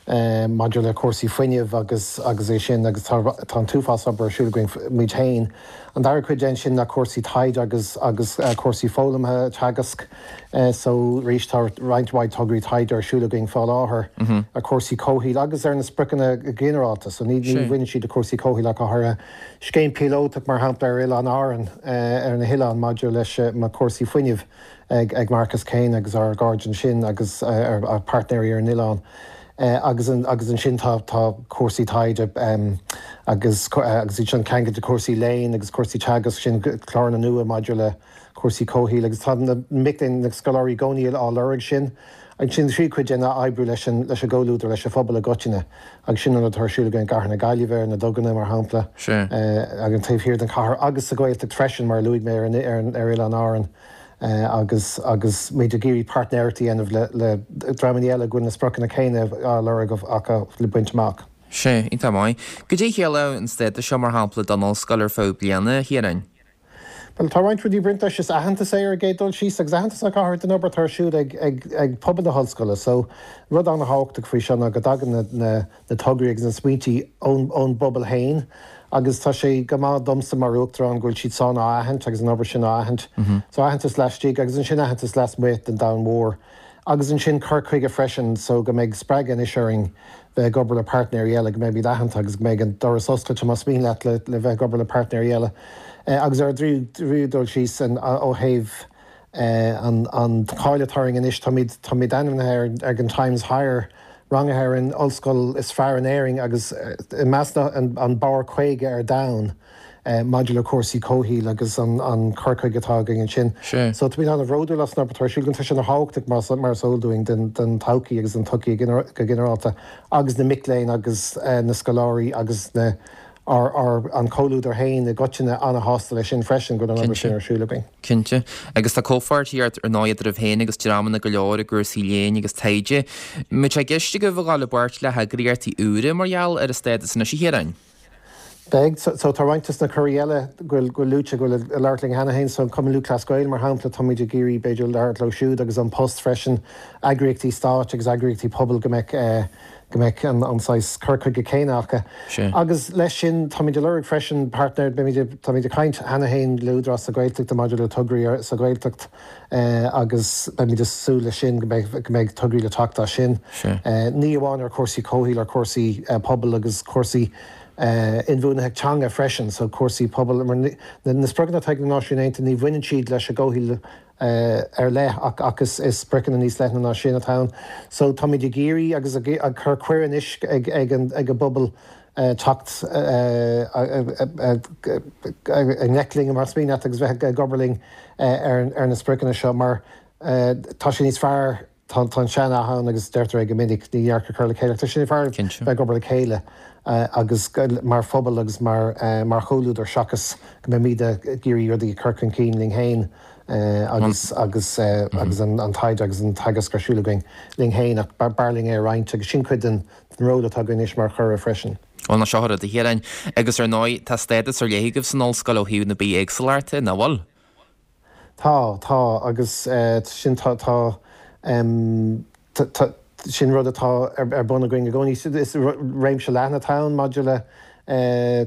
maidir le cúrsaí fuinnimh agus agus é sin agus tá tá an t-uafás obair ar siúl againn muid féin. An dara cuid den sin ná cúrsaí taighde agus agus cúrsaí foghlamtha, teagasc. So arís tá roinnt mhaith tograí taighde ar siúl againn fá láthair ar chúrsaí comhshaoil agus ar na spriocanna go ginearálta. So ní ní bhaineann siad le cúrsaí comhshaoil ach go háirithe. Scéim píolótach mar shampla ar Oileán Árann ar na hoileáin maidir leis na cúrsaí fuinnimh ag ag Marcus Kane agus ár gcairde ansin agus ár páirtnéirí ar an oileán. Agus agus ansin tá tá cúrsaí taighde agus agus iad sin ceangailte cúrsaí léinn agus cúrsaí teagasc sin cláranna nua maidir le cúrsaí comhshaoil agus tá na mic léinn na scoláirí i gcónaí á lorg sin. Ansin tríú cuid de ná oibriú leis an leis an gcomhluadar leis an phobal i gcoitinne agus sin an rud atá ar siúl againn i gCathair na Gaillimhe ar na duganna mar shampla ag an taobh thiar den chathair agus sa Ghaeltacht freisin mar a luaigh mé ar an ar an ar Oileán Árann. agus agus muid ag iarraidh páirtnéireacht a dhéanamh le le dreamanna eile go bhfuil na spriocanna céanna á lorg acu le baint amach. Sea, iontach maith. Goidé a chiallódh an stádas seo, mar shampla, don ollscoil ar feadh bliana, a Chiaráin? Bhuel, tá roinnt rudaí ag baint leis. Is aitheantas é ar an gcéad dul síos agus aitheantas ach go háirithe don obair atá ar siúl ag ag ag pobal na hollscoile. So, rud an-thábhachtach faoi seo ná go dtagann na na na tograí agus na smaointí ón ón bpobal féin. Agus tá sé go maith domsa mar Uachtarán go bhfuil siad san á aithint agus an obair sin á aithint. So aitheantas laistigh agus ansin aitheantas lasmuigh den domhan mhór. Agus ansin cur chuige freisin so go mbeidh spreagadh anois orainn bheith ag obair le páirtnéirí eile, go mbeimid aitheanta agus go mbeidh an doras oscailte más mian leat le le bheith ag obair le páirtnéirí eile. Agus ar an dtríú dul síos ó thaobh an an cháil atá orainn anois, táimid táimid ainmnithe ar ag an Times Higher, rangaithe ar an ollscoil is fearr in Éirinn agus i measc an barr caoga ar domhan maidir le cúrsaí comhshaoil agus an cur chuige atá againn ansin. So táimid an-bhródúil as an obair atá ar siúl againn. Tá sé ana-thábhachtach mar is eol dúinn don todhchaí agus don tsochaí go ginearálta agus na mic léinn agus na scoláirí agus na ár an comhluadar féin i gcoitinne ana-shásta leis sin freisin, go bhfuil an obair sin ar siúl againn. Cinnte. Agus tá comhpháirtíocht ar ndóigh eadraibh féin agus dreamanna go leor i gcúrsaí léinn agus taighde. An mbeidh sé i gceist agaibh a dhul i bpáirt le heagraíochtaí úra mar gheall ar an stádas anois, a Chiaráin? Beidh. So tá roinnt de na curaí eile go bhfuil luaite go bhfuil ag labhairt linn cheana féin. So an Cumann Lúthchleas Gael, mar shampla, táimid ag iarraidh b'fhéidir labhairt leo siúd agus An Post freisin, eagraíochtaí stáit agus eagraíochtaí pobail go mbeadh go mbeadh an saghas cur chuige céanna acu. Agus leis sin, táimid ag lorg freisin páirtnéir, beimid ag, táimid ag caint cheana féin le Údarás na Gaeltachta maidir le tograí sa Ghaeltacht agus beimid ag súil leis sin, go mbeidh, go mbeidh tograí le teacht as sin. Ní amháin ar chúrsaí comhshaoil, ar chúrsaí pobail agus cúrsaí inbhuanaitheacht teanga freisin, so cúrsaí pobail, mar na spriocanna atá ag na Náisiúin Aontaithe, ní bhaineann siad leis an gcomhshaol ar leith ach ach is is spriocanna níos leithne ná sin atá ann. So táimid ag iarraidh agus ag ag cur cuireadh anois ag ag an ag an bpobal teacht i ngleic linn mar is mian leat agus bheith ag obair linn ar ar na spriocanna seo mar tá sé níos fearr tá an sean-nath ann agus deirtear é go minic, ní dhearc ag cur le chéile ach tá sé níos fearr bheith ag obair le chéile agus mar phobal agus mar mar chomhluadar seachas go mbeimid ag iarraidh rudaí a chur chun cinn linn féin agus agus agus an taighde agus an teagasc ar siúl againn linn féin ach b'fhearr linn é a roinnt agus sin cuid den ról atá againn anois mar churadh freisin. Bhuel, ná seo rud a Chiaráin, agus ar ndóigh tá stádas ar leith agaibh san ollscoil ó thaobh na bithéagsúlachta, nach bhfuil? Tá, tá, agus sin tá, tá, tá, sin rud atá ar bun againn i gcónaí. Is réimse leathan atá ann maidir le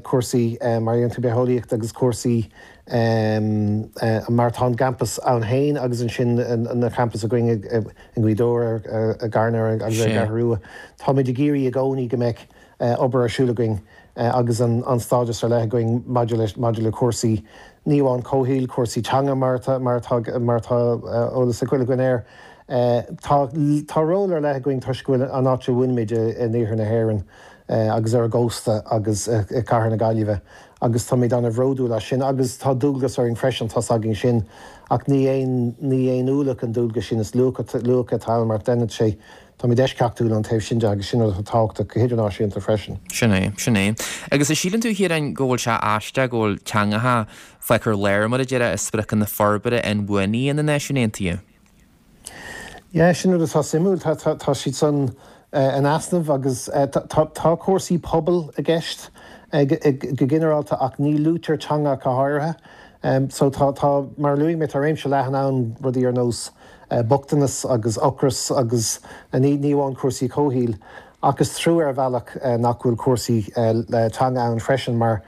cúrsaí mar a deireann tú bitheolaíocht agus cúrsaí mar atá an gcampas ann féin agus ansin na campais againn i nGaoth Dobhair, i gCarna agus ar an gCeathrú Rua. Táimid ag iarraidh i gcónaí go mbeadh obair ar siúl againn agus an stádas ar leith againn maidir le maidir le cúrsaí ní amháin comhshaoil, cúrsaí teanga mar atá mar atá mar atá eolas ag chuile dhuine air. Tá tá ról ar leith againn toisc go bhfuil an áit a bhfuilimid in iarthar na hÉireann agus ar an gcósta agus i gcathair na Gaillimhe agus táimid an-bhródúil as sin agus tá dualgas orainn freisin, tá's againn sin ach ní aon ní aon ualach an dualgas sin, is luach luach atá ann mar déanann sé Táimid eisceachtúil ón taobh sin de agus sin rud atá tábhachtach go hidirnáisiúnta freisin. Sin é, sin é. Agus an síleann tú, a Chiaráin, go bhfuil sé aisteach go bhfuil teangacha fágtha ar lár, mar a déarfá, i spriocanna forbartha inbhuanaithe na Náisiún Aontaithe? Yeah, sin rud atá suimiúil. Tá, tá, tá siad san in easnamh agus tá, tá cúrsaí pobail i gceist go ginearálta ach ní luaitear teanga ach go háirithe. So tá, tá, mar a luaigh mé, tá réimse leathan ann, rudaí ar nós bochtanas agus ocras agus ní amháin cúrsaí comhshaoil. Ach is trua ar bhealach nach bhfuil cúrsaí teanga ann freisin mar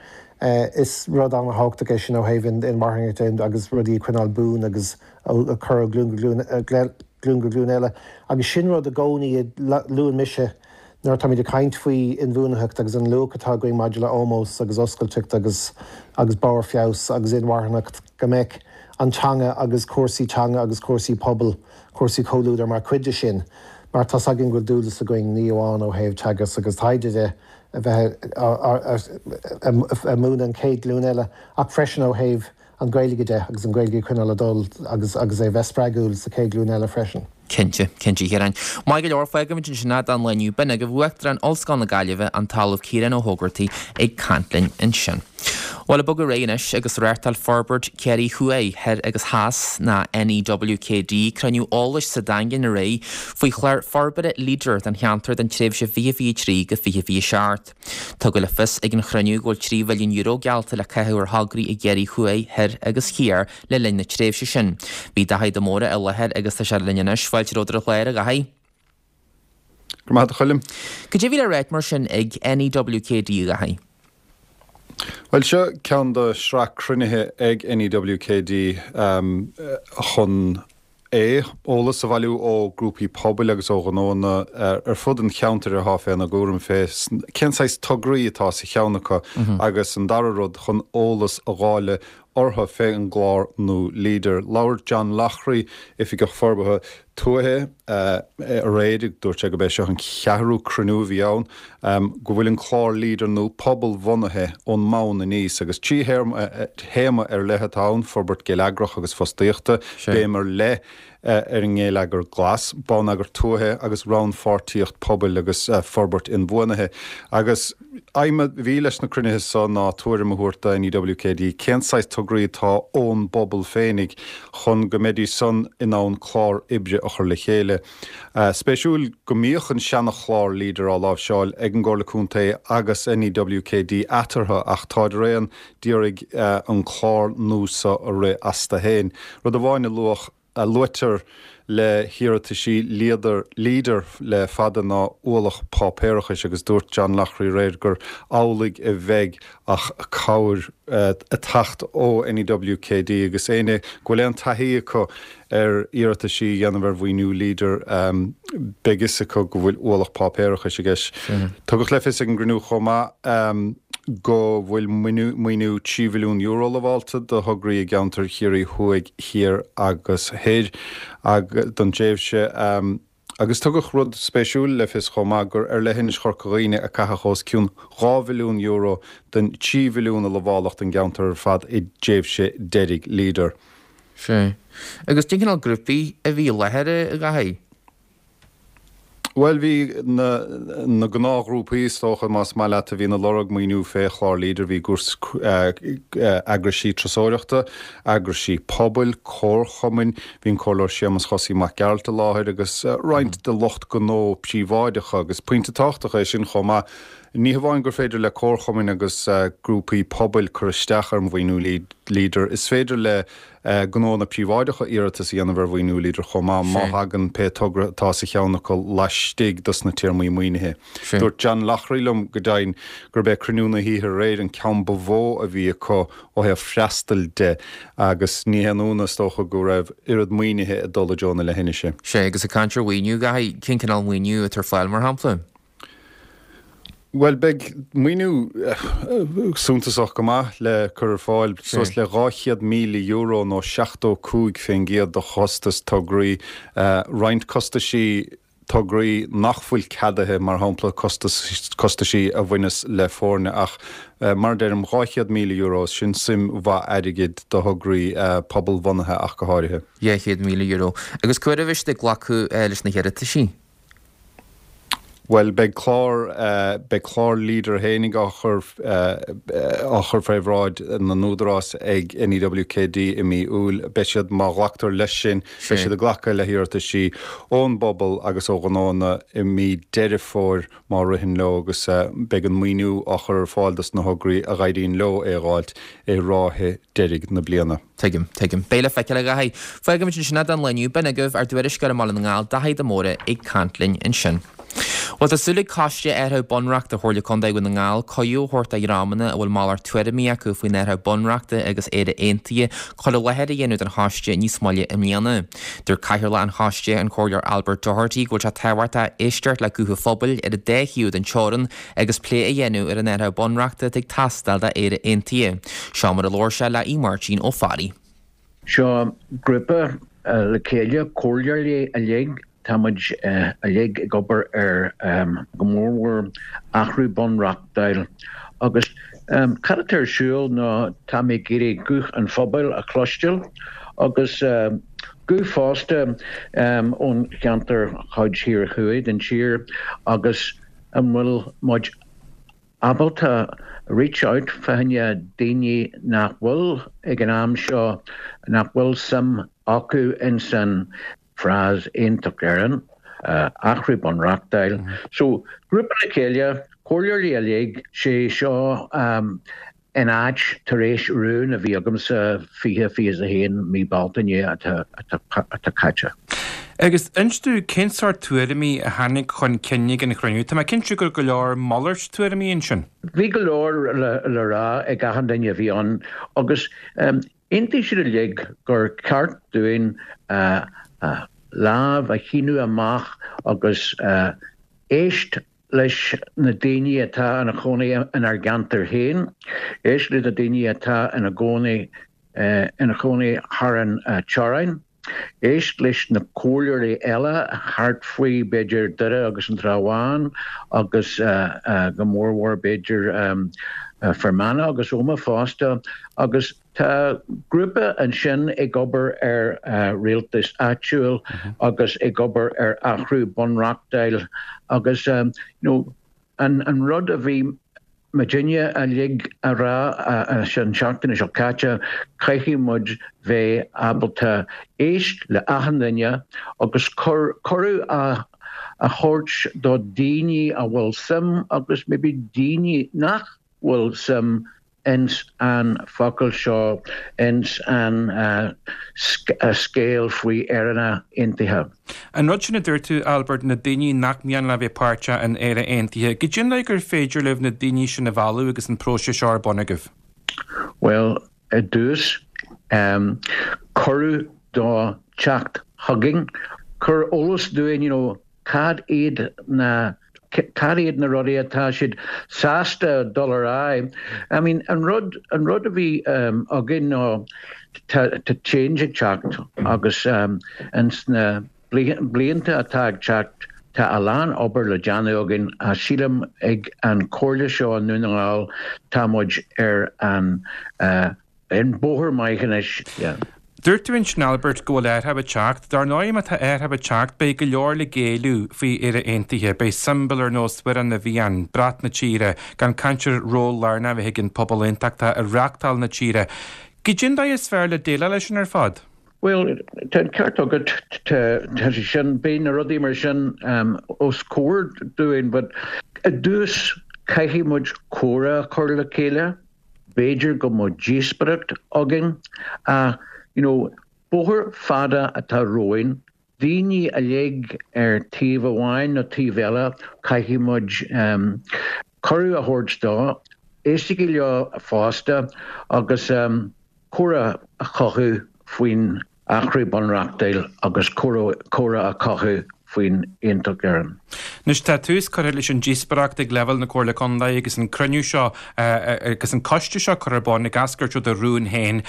is rud an-thábhachtach é sin ó thaobh inmharthanacht de agus rudaí a choinneáil buan agus a chur ó ghlúin go glúin go glúin eile. Agus sin rud i gcónaí a luann mise nuair atáimid ag caint faoi inbhuanaitheacht agus an luach atá againn maidir le ómós agus oscailteacht agus agus barr feabhais agus inmharthanacht, go mbeadh an teanga agus cúrsaí teanga agus cúrsaí pobail, cúrsaí comhluadair mar chuid de sin mar tá's againn go bhfuil dualgas againn ní amháin ó thaobh teagasc agus taighde de a bheith ag múineadh an chéad ghlúin eile ach freisin ó thaobh an Ghaeilge de agus an Ghaeilge a choinneáil ag dul agus agus é bheith spreagúil sa chéad ghlúin eile freisin. Cinnte, cinnte, a Chiaráin. Maith go leor, fágfaimid ansin é don lá inniu. B'in agaibh Uachtarán Ollscoil na Gaillimhe, an tOllamh Ciarán Ó hÓgartaigh ag caint linn ansin. Bhuel, ag bogadh ar aghaidh anois agus reáchtáil Forbairt Chiarraí Thuaidh, Thoir agus Theas, ná NEWKD, cruinniú eolais sa Daingean aréir faoi chlár forbartha Leader don cheantar don tréimhse fiche fiche trí go fiche fiche seacht. Tugadh le fios ag an chruinniú go bhfuil trí mhilliún euro geallta le caitheamh ar thograí i gCiarraí Thuaidh, Thoir agus Thiar le linn na tréimhse sin. Bhí Daithí de Mórdha i láthair agus tá sé linn anois. Fáilte romhat ar an chlár, a Dhaithí. Go raibh maith agat a Choilm. Cad é a bhí le ráit mar sin ag NEWKD, a Dhaithí? Bhuel, seo ceann de shraith cruinnithe ag NEWKD chun A. Eolas a bhailiú ó ghrúpaí pobail agus ó ghnóanna ar fud an cheantair atá féna gcúram fé cén saghas tograí atá sa cheann acu agus an dara rud chun eolas a dháileadh orthu fé an gclár nua Leader. Labhair John Loughrey, Oifigeach Forbartha Tuaithe, aréir, dúirt sé gurb é seo an cheathrú cruinniú a bhí ann, go bhfuil an clár Leader nua pobal-bhunaithe ón mbonn aníos agus trí théama ar leith atá ann, forbairt geilleagrach agus fostaíochta, béim ar leith ar an ngeilleagar glas, bonneagar tuaithe agus rannpháirtíocht pobail agus forbairt inbhuanaithe. Agus aidhm a bhí leis na cruinnithe so ná tuairim a thabhairt do NEWKD cén saghas tograí atá ón bpobal féinig chun go mbeidís san in ann clár oibre a chur le chéile. Spéisiúil go mbíodh an seana-chlár Leader á láimhseáil ag an gComhairle Contae agus NEWKD eatarthu ach táid araon d'iarraidh an clár nua so a rith astu féin. Rud amháin a luadh a luaitear le hiarrataisí Leader Leader le fada ná ualach páipéarachais agus dúirt John Loughrey aréir gur amhlaidh a bheidh ach cabhair ag teacht ó NEWKD agus éinne go bhfuil aon taithí acu ar iarrataisí a dhéanamh ar mhaoiniú Leader beidh fhios acu go bhfuil ualach páipéarachais i gceist. Tugadh le fios ag an gcruinniú chomh maith go bhfuil maoiniú trí mhilliún euro lamhálta do thograí i gceantar Chiarraí Thuaidh, Thiar agus Thoir don tréimhse. Agus tugadh rud spéisiúil le fios chomh maith gur ar leithinis Chorca Dhuibhne a caitheadh os cionn dhá mhilliún euro den trí mhilliún a lamháladh don gceantar ar fad i dtréimhse deiridh Leader. Sea. Agus cén cineál grúpaí a bhí i láthair, a Dhaithí? Bhuel, bhí na na gnáthghrúpaí, is dócha, más maith leat, a bhíonn ag lorg maoiniú fé chlár Leader, bhí eagraisí turasóireachta, eagraisí pobail, comharchumainn, bhí an Comhairleoir Séamus Chosaí Mac Gearailt i láthair agus roinnt de lucht gnó príobháideacha agus pointe tábhachtach é sin chomh maith. Ní hamháin gur féidir le comharchumainn agus grúpaí pobail cur isteach ar mhaoiniú Leader, is féidir le gnóanna príobháideacha iarratas a dhéanamh ar mhaoiniú Leader chomh maith, má thagann pé togra atá sa cheann acu laistigh dos na téarmaí maoinithe. Dúirt John Loughrey liom go deimhin gurb é cruinniú na hoíche aréir an ceann ba mhó a bhí acu ó thaobh freastail de agus ní haon ionadh is dócha go raibh oiread maoinithe ag dul i dtreo na leithinise. Sea, agus ag caint ar mhaoiniú, Dhaithí, cén cineál maoiniú atá ar fáil, mar shampla? Bhuel, beidh maoiniú suntasach go maith le cur ar fáil, suas le dhá chéad míle euro nó seachtó cúig faoin gcéad de chostas tograí, roinnt costaisí tograí nach bhfuil ceadaithe, mar shampla costaisí a bhaineas le foirne, ach mar a deirim, dhá chéad míle euro, sin suim mhaith airgid do thograí pobalbhunaithe ach go háirithe. Dhá chéad míle euro. Agus cá huair a bheidh siad ag glacadh leis na hiarrataisí? Bhuel, beidh clár, beidh clár Leader fhéinig á chur, á chur fé bhráid na n-údarás ag NEWKD i mí Iúil. Beidh siad, má ghlactar leis sin, beidh siad ag glacadh le hiarrataisí ón bpobal agus ó ghnóanna i mí Deireadh Fómhair má ritheann leo agus beidh an maoiniú á chur ar fáil dos na thograí a dh'éiríonn leo é a dh'fháilt i ráithe deiridh na bliana. Tuigim, tuigim. Beidh le feiceáil, a Dhaithí. Fágfaimid ansin é don lá inniu. B'in agaibh ár dtuairisceoir i mBaile na nGall, Daithí de Mórdha, ag caint linn ansin. Bhuel, tá súil ag Coiste Athraitheach Bunreachta Chomhairle Contae Dhún na nGall cuireadh a thabhairt do dhreamanna a bhfuil malairt tuairimí acu faoin athraitheach bunreachta agus Éire Aontaithe cur i láthair a dhéanamh don choiste níos moille i mbliana. Dúirt Cathaoirleach an choiste, an Comhairleoir Albert Doherty, go bhfuil sé tábhachtach éisteacht le guth an phobail ar an dá thaobh den teorainn agus plé a dhéanamh ar an athraitheach bunreachta atá ag teastáil d'Éire Aontaithe. Seo mar a labhair sé le Aodh Máirtín Ó Fearraigh. Seo grúpa le chéile, comhairleoirí uilig, tá muid uilig ag obair ar go mórmhór athrú bunreachtúil agus cad atá ar siúl ná tá mé ag iarraidh guth an phobail a chloisteáil agus guth fosta ón cheantar chuid thiar thuaidh den tír agus an bhfuil muid ábalta reach out fá choinne daoine nach bhfuil ag an am seo, nach bhfuil suim acu ins an phrase Aontacht Éireann, athrú bunreachtúil. So, grúpa le chéile, comhairleoirí uilig, sé seo in áit tar éis rún a bhí agamsa fiche, fiche is a haon mí Bealtaine atá atá caite. Agus inis dúinn cén sórt tuairimí a tháinig chun cinn ag an chruinniú? Tá mé cinnte go raibh go leor malairt tuairimí ansin. Bhí go leor le rá ag achan duine a bhí ann agus aontaigh siad uilig gur ceart dúinn lámh a shíneadh amach agus éist leis na daoine atá ina chónaí inár gceantar féin, éist leis na daoine atá ina gcónaí ina chónaí thar an teorainn, éist leis na comhairleoirí eile thart faoi b'fhéidir Doire agus an Trá Bháin agus go mórmhór b'fhéidir Fear Manach agus Ómaigh fosta agus Tá grúpa ansin ag obair ar rialtas áitiúil agus ag obair ar athrú bunreachtúil agus you know an an rud a bhí muidinne uilig a rá an seachtain seo caite, caithfidh muid bheith ábalta éist le achan duine agus cur cuireadh a a thabhairt do daoine a bhfuil suim agus maybe daoine nach bhfuil suim ins an focal seo, ins an scéal faoi Éire Aontaithe. An rud sin a dúirt tú, Albert, na daoine nach mian leo bheith páirteach in Éire Aontaithe, goidé an dóigh gur féidir libh na daoine sin a mhealladh agus an próiseas seo ar bun agaibh? Bhuel, i dtús, cuireadh do teacht chugainn, cur eolas dúinn, you know, cad iad na cad iad na rudaí atá siad sásta dul ar aghaidh. I mean, an rud an rud a bhí um, againn ná tá tá change ag teacht agus um, ins na blianta atá ag teacht tá a lán obair le déanamh againn a sílim ag an Comhairle seo i nDún na nGall tá muid ar an uh, an bóthar maith anois. Yeah. Dúirt tú ansin Albert go bhfuil athrú ag teacht, dar ndóigh má tá athrú ag teacht beidh go leor le géilleadh faoi Éire Aontaithe, beidh siombail ar nós Amhrán na bhFiann, brat na tíre, gan caint ar ról lárnach a bheith ag an pobal aontachtach i reachtáil na tíre. Goidé an dóigh is fearr le déileáil leis sin ar fad? Well, tá an ceart agat tá sé sin beidh na rudaí mar sin um, os comhair dúinn, but i dtús caithfidh muid comhrá a chur le chéile, b'fhéidir go mbeadh díospóireacht againn a you know, bóthar fada atá romhainn, daoine uilig ar taobh amháin nó taobh eile caithfidh muid um, cuireadh a thabhairt dó, éisteacht leo fosta agus um, comhrá a chothú faoin athrú bunreachtúil agus comhrá a chothú faoin Aontacht Éireann. Anois tá tús curtha leis an díospóireacht ag leibhéal na Comhairle Contae agus an cruinniú seo agus an coiste seo curtha ar bun ag eascairt ó do rún féin.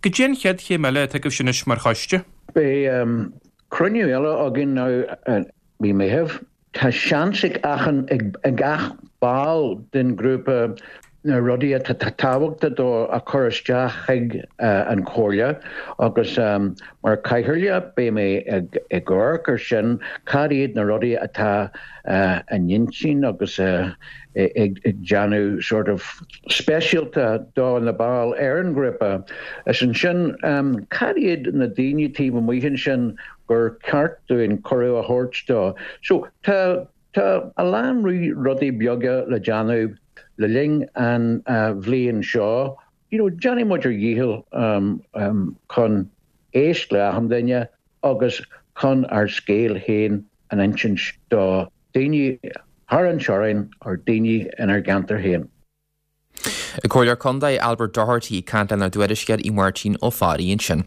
Goidé an chéad chéim eile atá agaibh anois mar choiste? Beidh um, cruinniú eile againn now uh, mí Mheithimh. Tá seans ag achan ag, ag gach ball den grúpa na rudaí atá tábhachtach dó a chur isteach chuig uh, an Chomhairle agus um, mar chathaoirleach beidh mé ag ag amharc ar sin cad iad na rudaí atá uh, an intinn agus uh, ag, ag déanamh sort of speisialta do na baill ar an grúpa. Is ansin um, cad iad na daoine taobh amuigh ansin gur ceart dúinn cuireadh a thabhairt dó. So tá tá a lán rudaí beaga le déanamh le linn an uh, bhliain seo, you know, déanfaidh muid ár ndícheall um, um, chun éisteacht le achan duine agus chun ár scéal féin a insint do daoine thar an teorainn ar daoine inár gceantar féin. Comhairleoir Contae Albert Doherty caint lenár dtuairisceoir í Máirtín Ó Fearraigh ansin.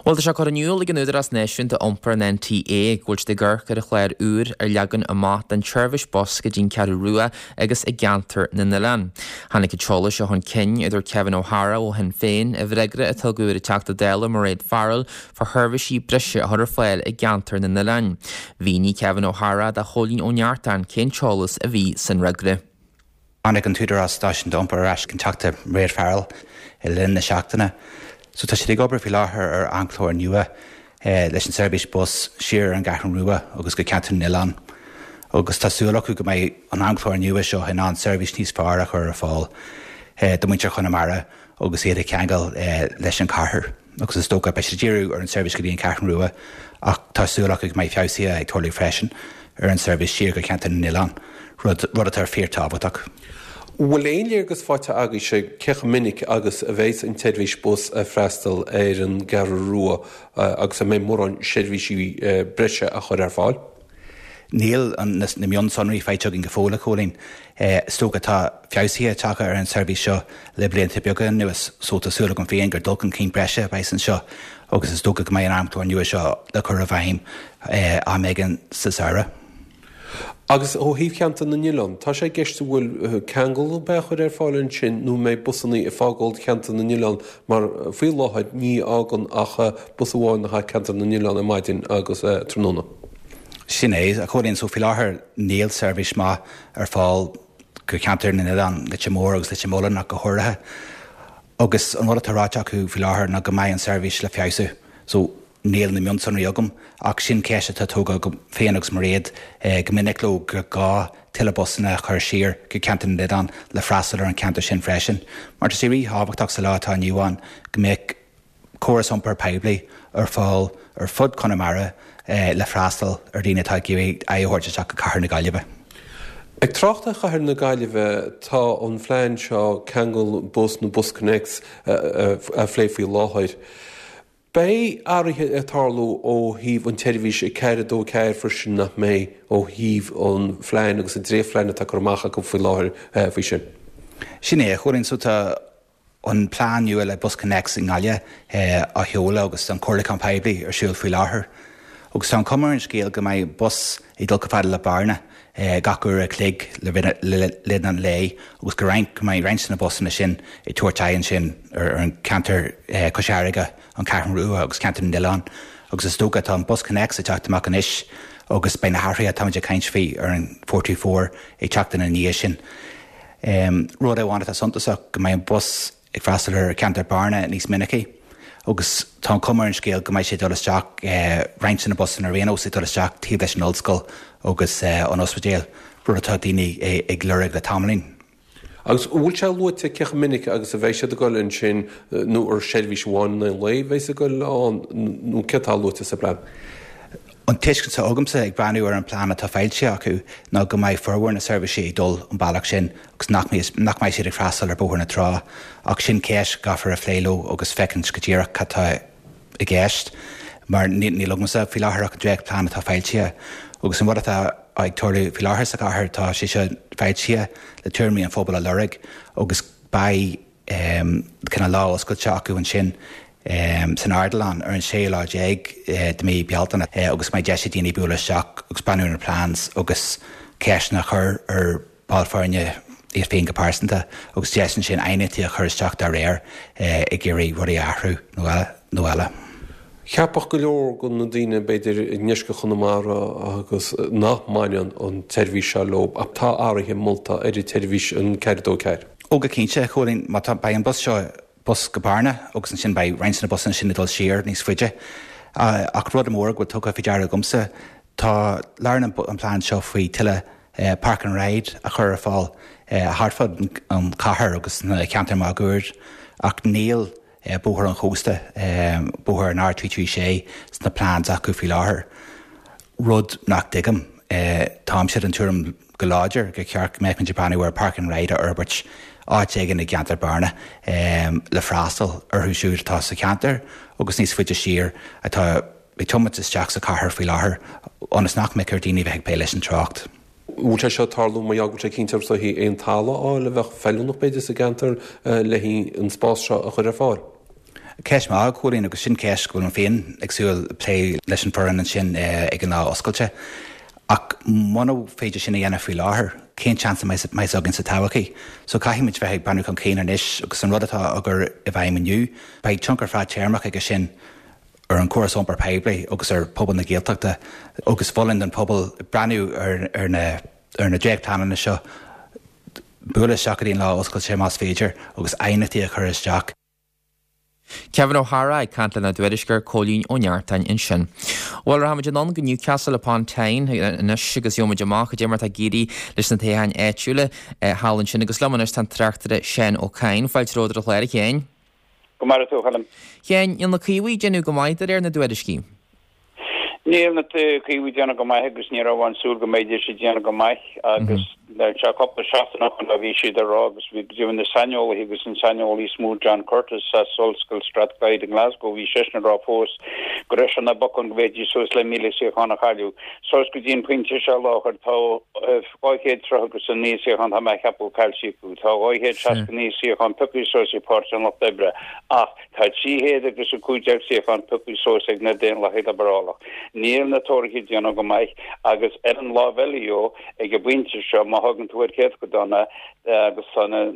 Bhuel tá sé curtha in iúl ag an Údarás Náisiúnta Iompair an NTA go bhfuil siad ag amharc ar chlár úr a leagan amach don tseirbhís bus go dtí'n Cheathrú Rua agus i gceantar na n-oileán. Tháinig an t-eolas seo chun cinn a dúirt Kevin O'Hara ó Shinn Féin i bhfreagra a tugadh ar an Teachta Dála Mairéad Farrell fá sheirbhísí breise a chur ar fáil i gceantar na n-oileán. Mhínigh Kevin O'Hara do Chóilín Ó Neachtain cén t-eolas a bhí san fhreagra. Tháinig an tÚdarás Náisiúnta Iompair ar ais chuig an Teachta Mairéad Farrell i linn na seachtaine. So tá siad ag obair faoi láthair ar amchlár nua eh, leis an seirbhís bus siar an gCeathrú Rua agus go ceantar na n-oileán. Agus tá súil acu go mbeidh an amchlár nua seo in ann seirbhís níos fearr a chur ar fáil eh, do mhuintir Chonamara agus iad a cheangal eh, leis an cathair. agus is dócha beidh siad ag díriú ar an seirbhís go dtí an Cheathrú Rua ach tá súil acu go mbeidh feabhsuithe ag tarlú freisin ar an seirbhís siar go ceantar na n-oileán, rud rud atá fíorthábhachtach. Bhfuil aon léargas faighte agaibhse cé chomh minic agus a bheas an tseirbhís bus ag freastal ar an gCeathrú Rua agus an mbeidh mórán seirbhísí breise á chur ar fáil? Níl na, na mionsonraí faighte againn go fóill a Chóilín. Is dócha tá feabhsuithe tagtha ar an seirbhís seo le blianta beaga anuas so tá súil agam féin gur dul chun cinn breise a bheas anseo agus is dócha go mbeidh an amchlár nua seo le cur i bhfeidhm am éigin sa samhradh. Agus ó thaobh cheantar na n-oileán, tá sé i gceist an bhfuil ceangal ar bith á chur ar fáil ansin nó mbeidh busanna ag fágáil cheantar na n-oileán mar faoi láthair ní fhágann ach bus amháin a ceantar na n-oileán ar maidin agus tráthnóna. Sin é a Chóilín so faoi láthair níl seirbhís maith ar fáil go ceantar na n-oileán Leitir Móir agus Leitir Mealláin ach go háirithe. Agus an rud atá ráite acu faoi láthair ná go mbeidh an seirbhís le feabhsú. So níl na mionsonraí agam ach sin ceist atá tógtha agam féin agus Mairéad eh, go minic leo gur gá tuilleadh busanna a chur siar go ceantar na n-oileán le freastal ar an ceantar sin freisin. Mar tá sé ríthábhachtach sa lá atá inniu ann go mbeadh córas iompair poiblí ar fáil ar fud Chonamara eh, le freastal ar daoine atá ag iarraidh aghaidh a thabhairt isteach go cathair na Gaillimhe. Ag trácht ar chathair na Gaillimhe tá an phlean seo ceangal bus nó BusConnects á phlé faoi láthair. Beidh athruithe ag tarlú ó thaobh an tseirbhís ag ceathair a dó ceathair freisin nach mbeidh ó thaobh an phlean agus an dréachtphlean atá curtha amach acu faoi láthair faoi sin. Sin é a Chóilín so tá an plean nua le BusConnects i nGaillimh á sheoladh agus an comhairliúchán poiblí ar siúl faoi láthair. Agus tá an chuma ar an scéal go mbeidh bus ag dul chomh fada le Bearna gach uair a chloig le linn an lae agus go roinnt go mbeidh roinnt de na busanna sin ag tabhairt aghaidh ansin ar an ceantar Cois Fharraige, an Cheathrú Rua agus ceantar na nOileán agus is dócha tá an BusConnects ag teacht amach anois agus beidh na hathruithe atáimid ag caint faoi ar an four two four ag teacht ina ndiaidh sin. Rud amháin atá suntasach go mbeidh an bus ag freastal ar cheantar Bearna níos minicí agus tá an chuma ar an scéal go mbeidh sé ag dul isteach, roinnt de na busanna ar aon nós ag dul isteach taobh leis an ollscoil agus an ospidéal, rud atá daoine ag lorg le tamaillín. Agus an bhfuil sé luaite cé chomh minic agus a bheidh siad ag dul ansin nó ar seirbhís amháin in aghaidh an lae a bheidh ag dul ann nó céard atá luaite sa bplean? An tuiscint atá agamsa ag breathnú ar an bplean atá foilsithe acu ná go mbeidh formhór na seirbhísí ag dul an bealach sin agus nach nach mbeidh siad ag freastal ar Bhóthar na Trá ach sin ceist a gcaithfear a phlé leo agus féachaint go díreach cad tá i gceist mar níl agamsa faoi láthair ach an dréachtphlean atá foilsithe agus an rud atá ag tarlú faoi láthair sa chathair tá sé seo foilsithe le tuairimí an phobail a lorg agus beidh cineál lá oscailte acu ansin san Ardilaun ar an séú lá déag de mhí Bealtaine agus go mbeidh deis ag daoine bualadh isteach agus breathnú ar na plans agus ceisteanna a chur ar bhaill foirne iad féin go pearsanta agus deis ansin aighneachtaí a chur isteach dá réir ag iarraidh rudaí a athrú nó eile. Cheapfadh go leor de na daoine, b'fhéidir, i ndeisceart Chonamara agus nach mbaineann an tseirbhís seo leo ach tá athruithe molta ar an tseirbhís an ceathair a dó ceathair. Ó go cinnte, a Chóilín, má tá, beidh an bus seo, bus go Bearna agus ansin beidh roinnt de na busanna sin ag dul siar níos faide. Ach rud mór go bhfuil tugtha faoi deara agamsa, tá, labhrann an plean seo faoi tuilleadh park and ride a chur ar fáil thart fud an chathair agus sna ceantair máguaird ach níl Bóthar an Chósta, bóthar an R trí trí sé, sna plans acu faoi láthair. Rud nach dtuigim. Táimse den tuairim go láidir gur cheart go mbeadh muid ag breathnú ar Park and Ride a fhorbairt áit éigin i gceantar Bearna le freastal orthu siúd atá sa cheantar agus níos faide siar atá ag tiomáint isteach sa chathair faoi láthair ionas nach mbeadh ar daoine bheith ag plé leis an trácht. Bhfuil sé seo ag tarlú mar gheall go bhfuil sé cinnte is dóichí aon talamh a fháil a bheadh feiliúnach b'fhéidir sa gceantar le haghaidh an spás seo a chur ar fáil? Ceist mhaith, a Chóilín, agus sin ceist go bhfuil mé féin ag súil plé leis an bhfoireann ansin ag an lá oscailte. Ach muna féidir sin a dhéanamh faoi láthair, cén seans a mbeidh againn sa todhchaí? So caithfidh muid bheith ag breathnú chun cinn anois agus an rud atá á chur i bhfeidhm inniu, beidh tionchar fadtéarmach aige sin ar an chóras iompair poiblí agus ar phobal na Gaeltachta agus mholfainn don phobal breathnú ar na ar na dréachtphleananna seo, bualadh isteach go dtí an lá oscailte más féidir agus aighneachtaí a chur isteach. Kevin O'Hara ag caint lenár dtuairisceoir Cóilín Ó Neachtain ansin. Bhuel, rachaimid anonn go Newcastle upon Tyne anois agus gheobhaimid amach cad é mar atá ag éirí leis na toghcháin áitiúla thall ansin agus liom anois tá an tráchtaire Seán Ó Cadhain. Fáilte romhat ar an chlár, a Sheáin. Go maire tú, a Choilm. A Sheáin, níl na Caomhaigh ag déanamh go maith de réir na dtuairiscí. Níl na Caomhaigh ag déanamh go maith agus ní raibh aon súil go mbeidís ag déanamh go maith agus tá cúpla seachtain ó shin a bhí siad ag rá agus bhí go deimhin na saineolaithe agus an saineolaí is mó John Curtice as Ollscoil Strathclyde i nGlasgow bhí seisean ag rá fós go raibh sé ina bocán go bhféadfaidís suas le míle suíochán a chailleadh. Suas go dtí an pointe seo i láthair tá dhá chéad tríocha agus a naoi suíochán tá mé a cheapadh caillte acu. Tá dhá chéad seasca naoi suíochán pioctha suas ag Páirtí an Lucht Oibre ach Tá trí chéad agus a cúig déag suíochán pioctha suas ag na Daonlathaigh Liobrálach. Níl na Tóraithe ag déanamh go maith agus ar an lámh eile dhó, ag an bpointe seo, má thagann tú ar chéatadán agus tá na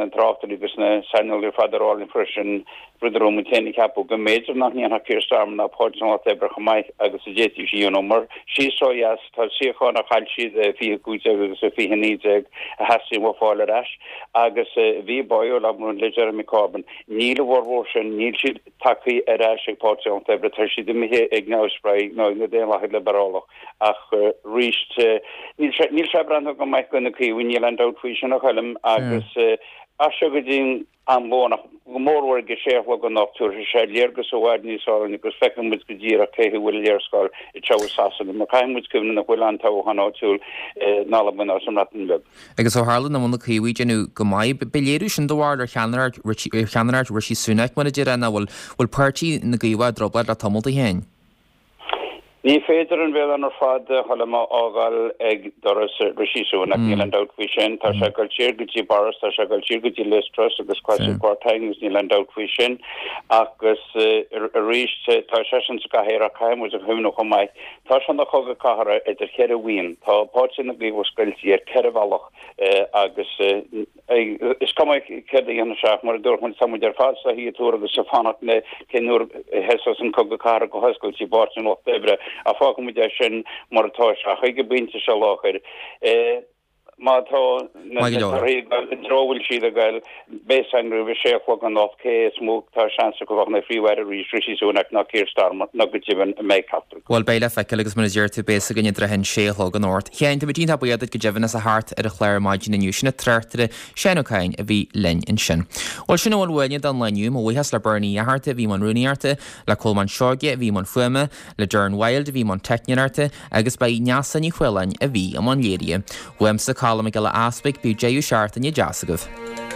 tráchtairí agus na saineolaithe ar fad ag rá linn freisin, rud a raibh muid féin ag ceapadh, go mb'fhéidir nach ndéanfadh Keir Starmer ná Páirtí an Lucht Oibre chomh maith agus a d'fhéadfaidís a dhéanamh mar síos ó dheas tá suíocháin a chaill siad i fiche cúig déag agus i fiche naoi déag a theastaíonn uathu fáil ar ais agus bhí báúil labhair le Jeremy Corbyn. Níl a bhformhór sin, níl siad tagtha ar ais ag Páirtí an Lucht Oibre, tá siad imithe ag Neamhspleáigh nó ag na Daonlathaigh Liobrálach ach arís níl sé, níl sé ag breathnú go maith do na Caomhaigh, níl aon dabht faoi sin a Choilm agus as seo go dtí an am lóin ach go mórmhór ag a sé a chlog anocht tabharfaidh sé léargas i bhfad níos fearr dúinn agus feicfidh muid go díreach cé hé a bhfuil an léarscáil ag treabhadh Sasana mar caithfidh muid cuimhneamh nach bhfuil aon toghchán áitiúil in Albain ná sa mBreatain Bheag. Agus ó tharla nach bhfuil na Caomhaigh ag déanamh go maith, beidh léiriú sin do bharúil ar cheannaireacht ar cheannaireacht Rishi Sunak mar a déarfá, nach bhfuil bhfuil páirtí na gCaomhach i dtrioblóid le tamall a Sheáin. Ní féidir an mhilleán ar fad a Choilm a fhágáil ag doras Rishi Sunak, níl aon dabht faoi sin. Tá sé ag dul siar go dtí Boris, tá sé ag dul siar go dtí Liz Truss agus Kwasi Kwarteng agus níl aon dabht faoi sin. Agus arís, tá seisean sa gcathaoir ach caithfidh muid a chuimhneamh chomh maith, tá sé ina chogadh cathartha idir cheithre bhuíon. Tá Páirtí na gCaomhach scoilte ar ceithre bhealach agus Is cuma céard a dhéanfaidh sé ach mar a dúirt muid, tá muid ar fad sa shuí agus ag fanacht le cén uair a thoiseos an cogadh cathartha go hoscailte i bPáirtí an Lucht Oibre ach fágfaidh muid é sin mar atá sé ach ag an bpointe seo láthair. Má tá na torthaí ag dul i dtreo a bhfuil siad ag dul, beidh a fhios againn roimh a sé a chlog anocht cé is mó atá seans acu a bheith ina Phríomh-Aire arís, Rishi Sunak nó Keir Starmer nó go deimhin an mbeidh ceachtar acu. Bhuel, beidh le feiceáil agus mar a deir tú, beidh a fhios againn i dtrátha an sé a chlog anocht. A Sheáin, tá muid iontach buíoch duit go deimhin as a theacht ar an chlár ar maidin inniu. Sin an tráchtaire Seán Ó Cadhain a bhí linn ansin. Bhuel, sin a bhfuil uainne don lá inniu. Mo bhuíochas le Bernie Uí Fhatharta a bhí i mbun rúnaíochta, le Colmán Seoige a bhí i mbun fuaime, le Darren Wilde a bhí i mbun teicneoireachta agus ba í Neasa Ní Choileáin a bhí i mbun léirithe. Uaimse, Colm Mac Giolla Easpaig, bíodh deireadh seachtaine deas agaibh.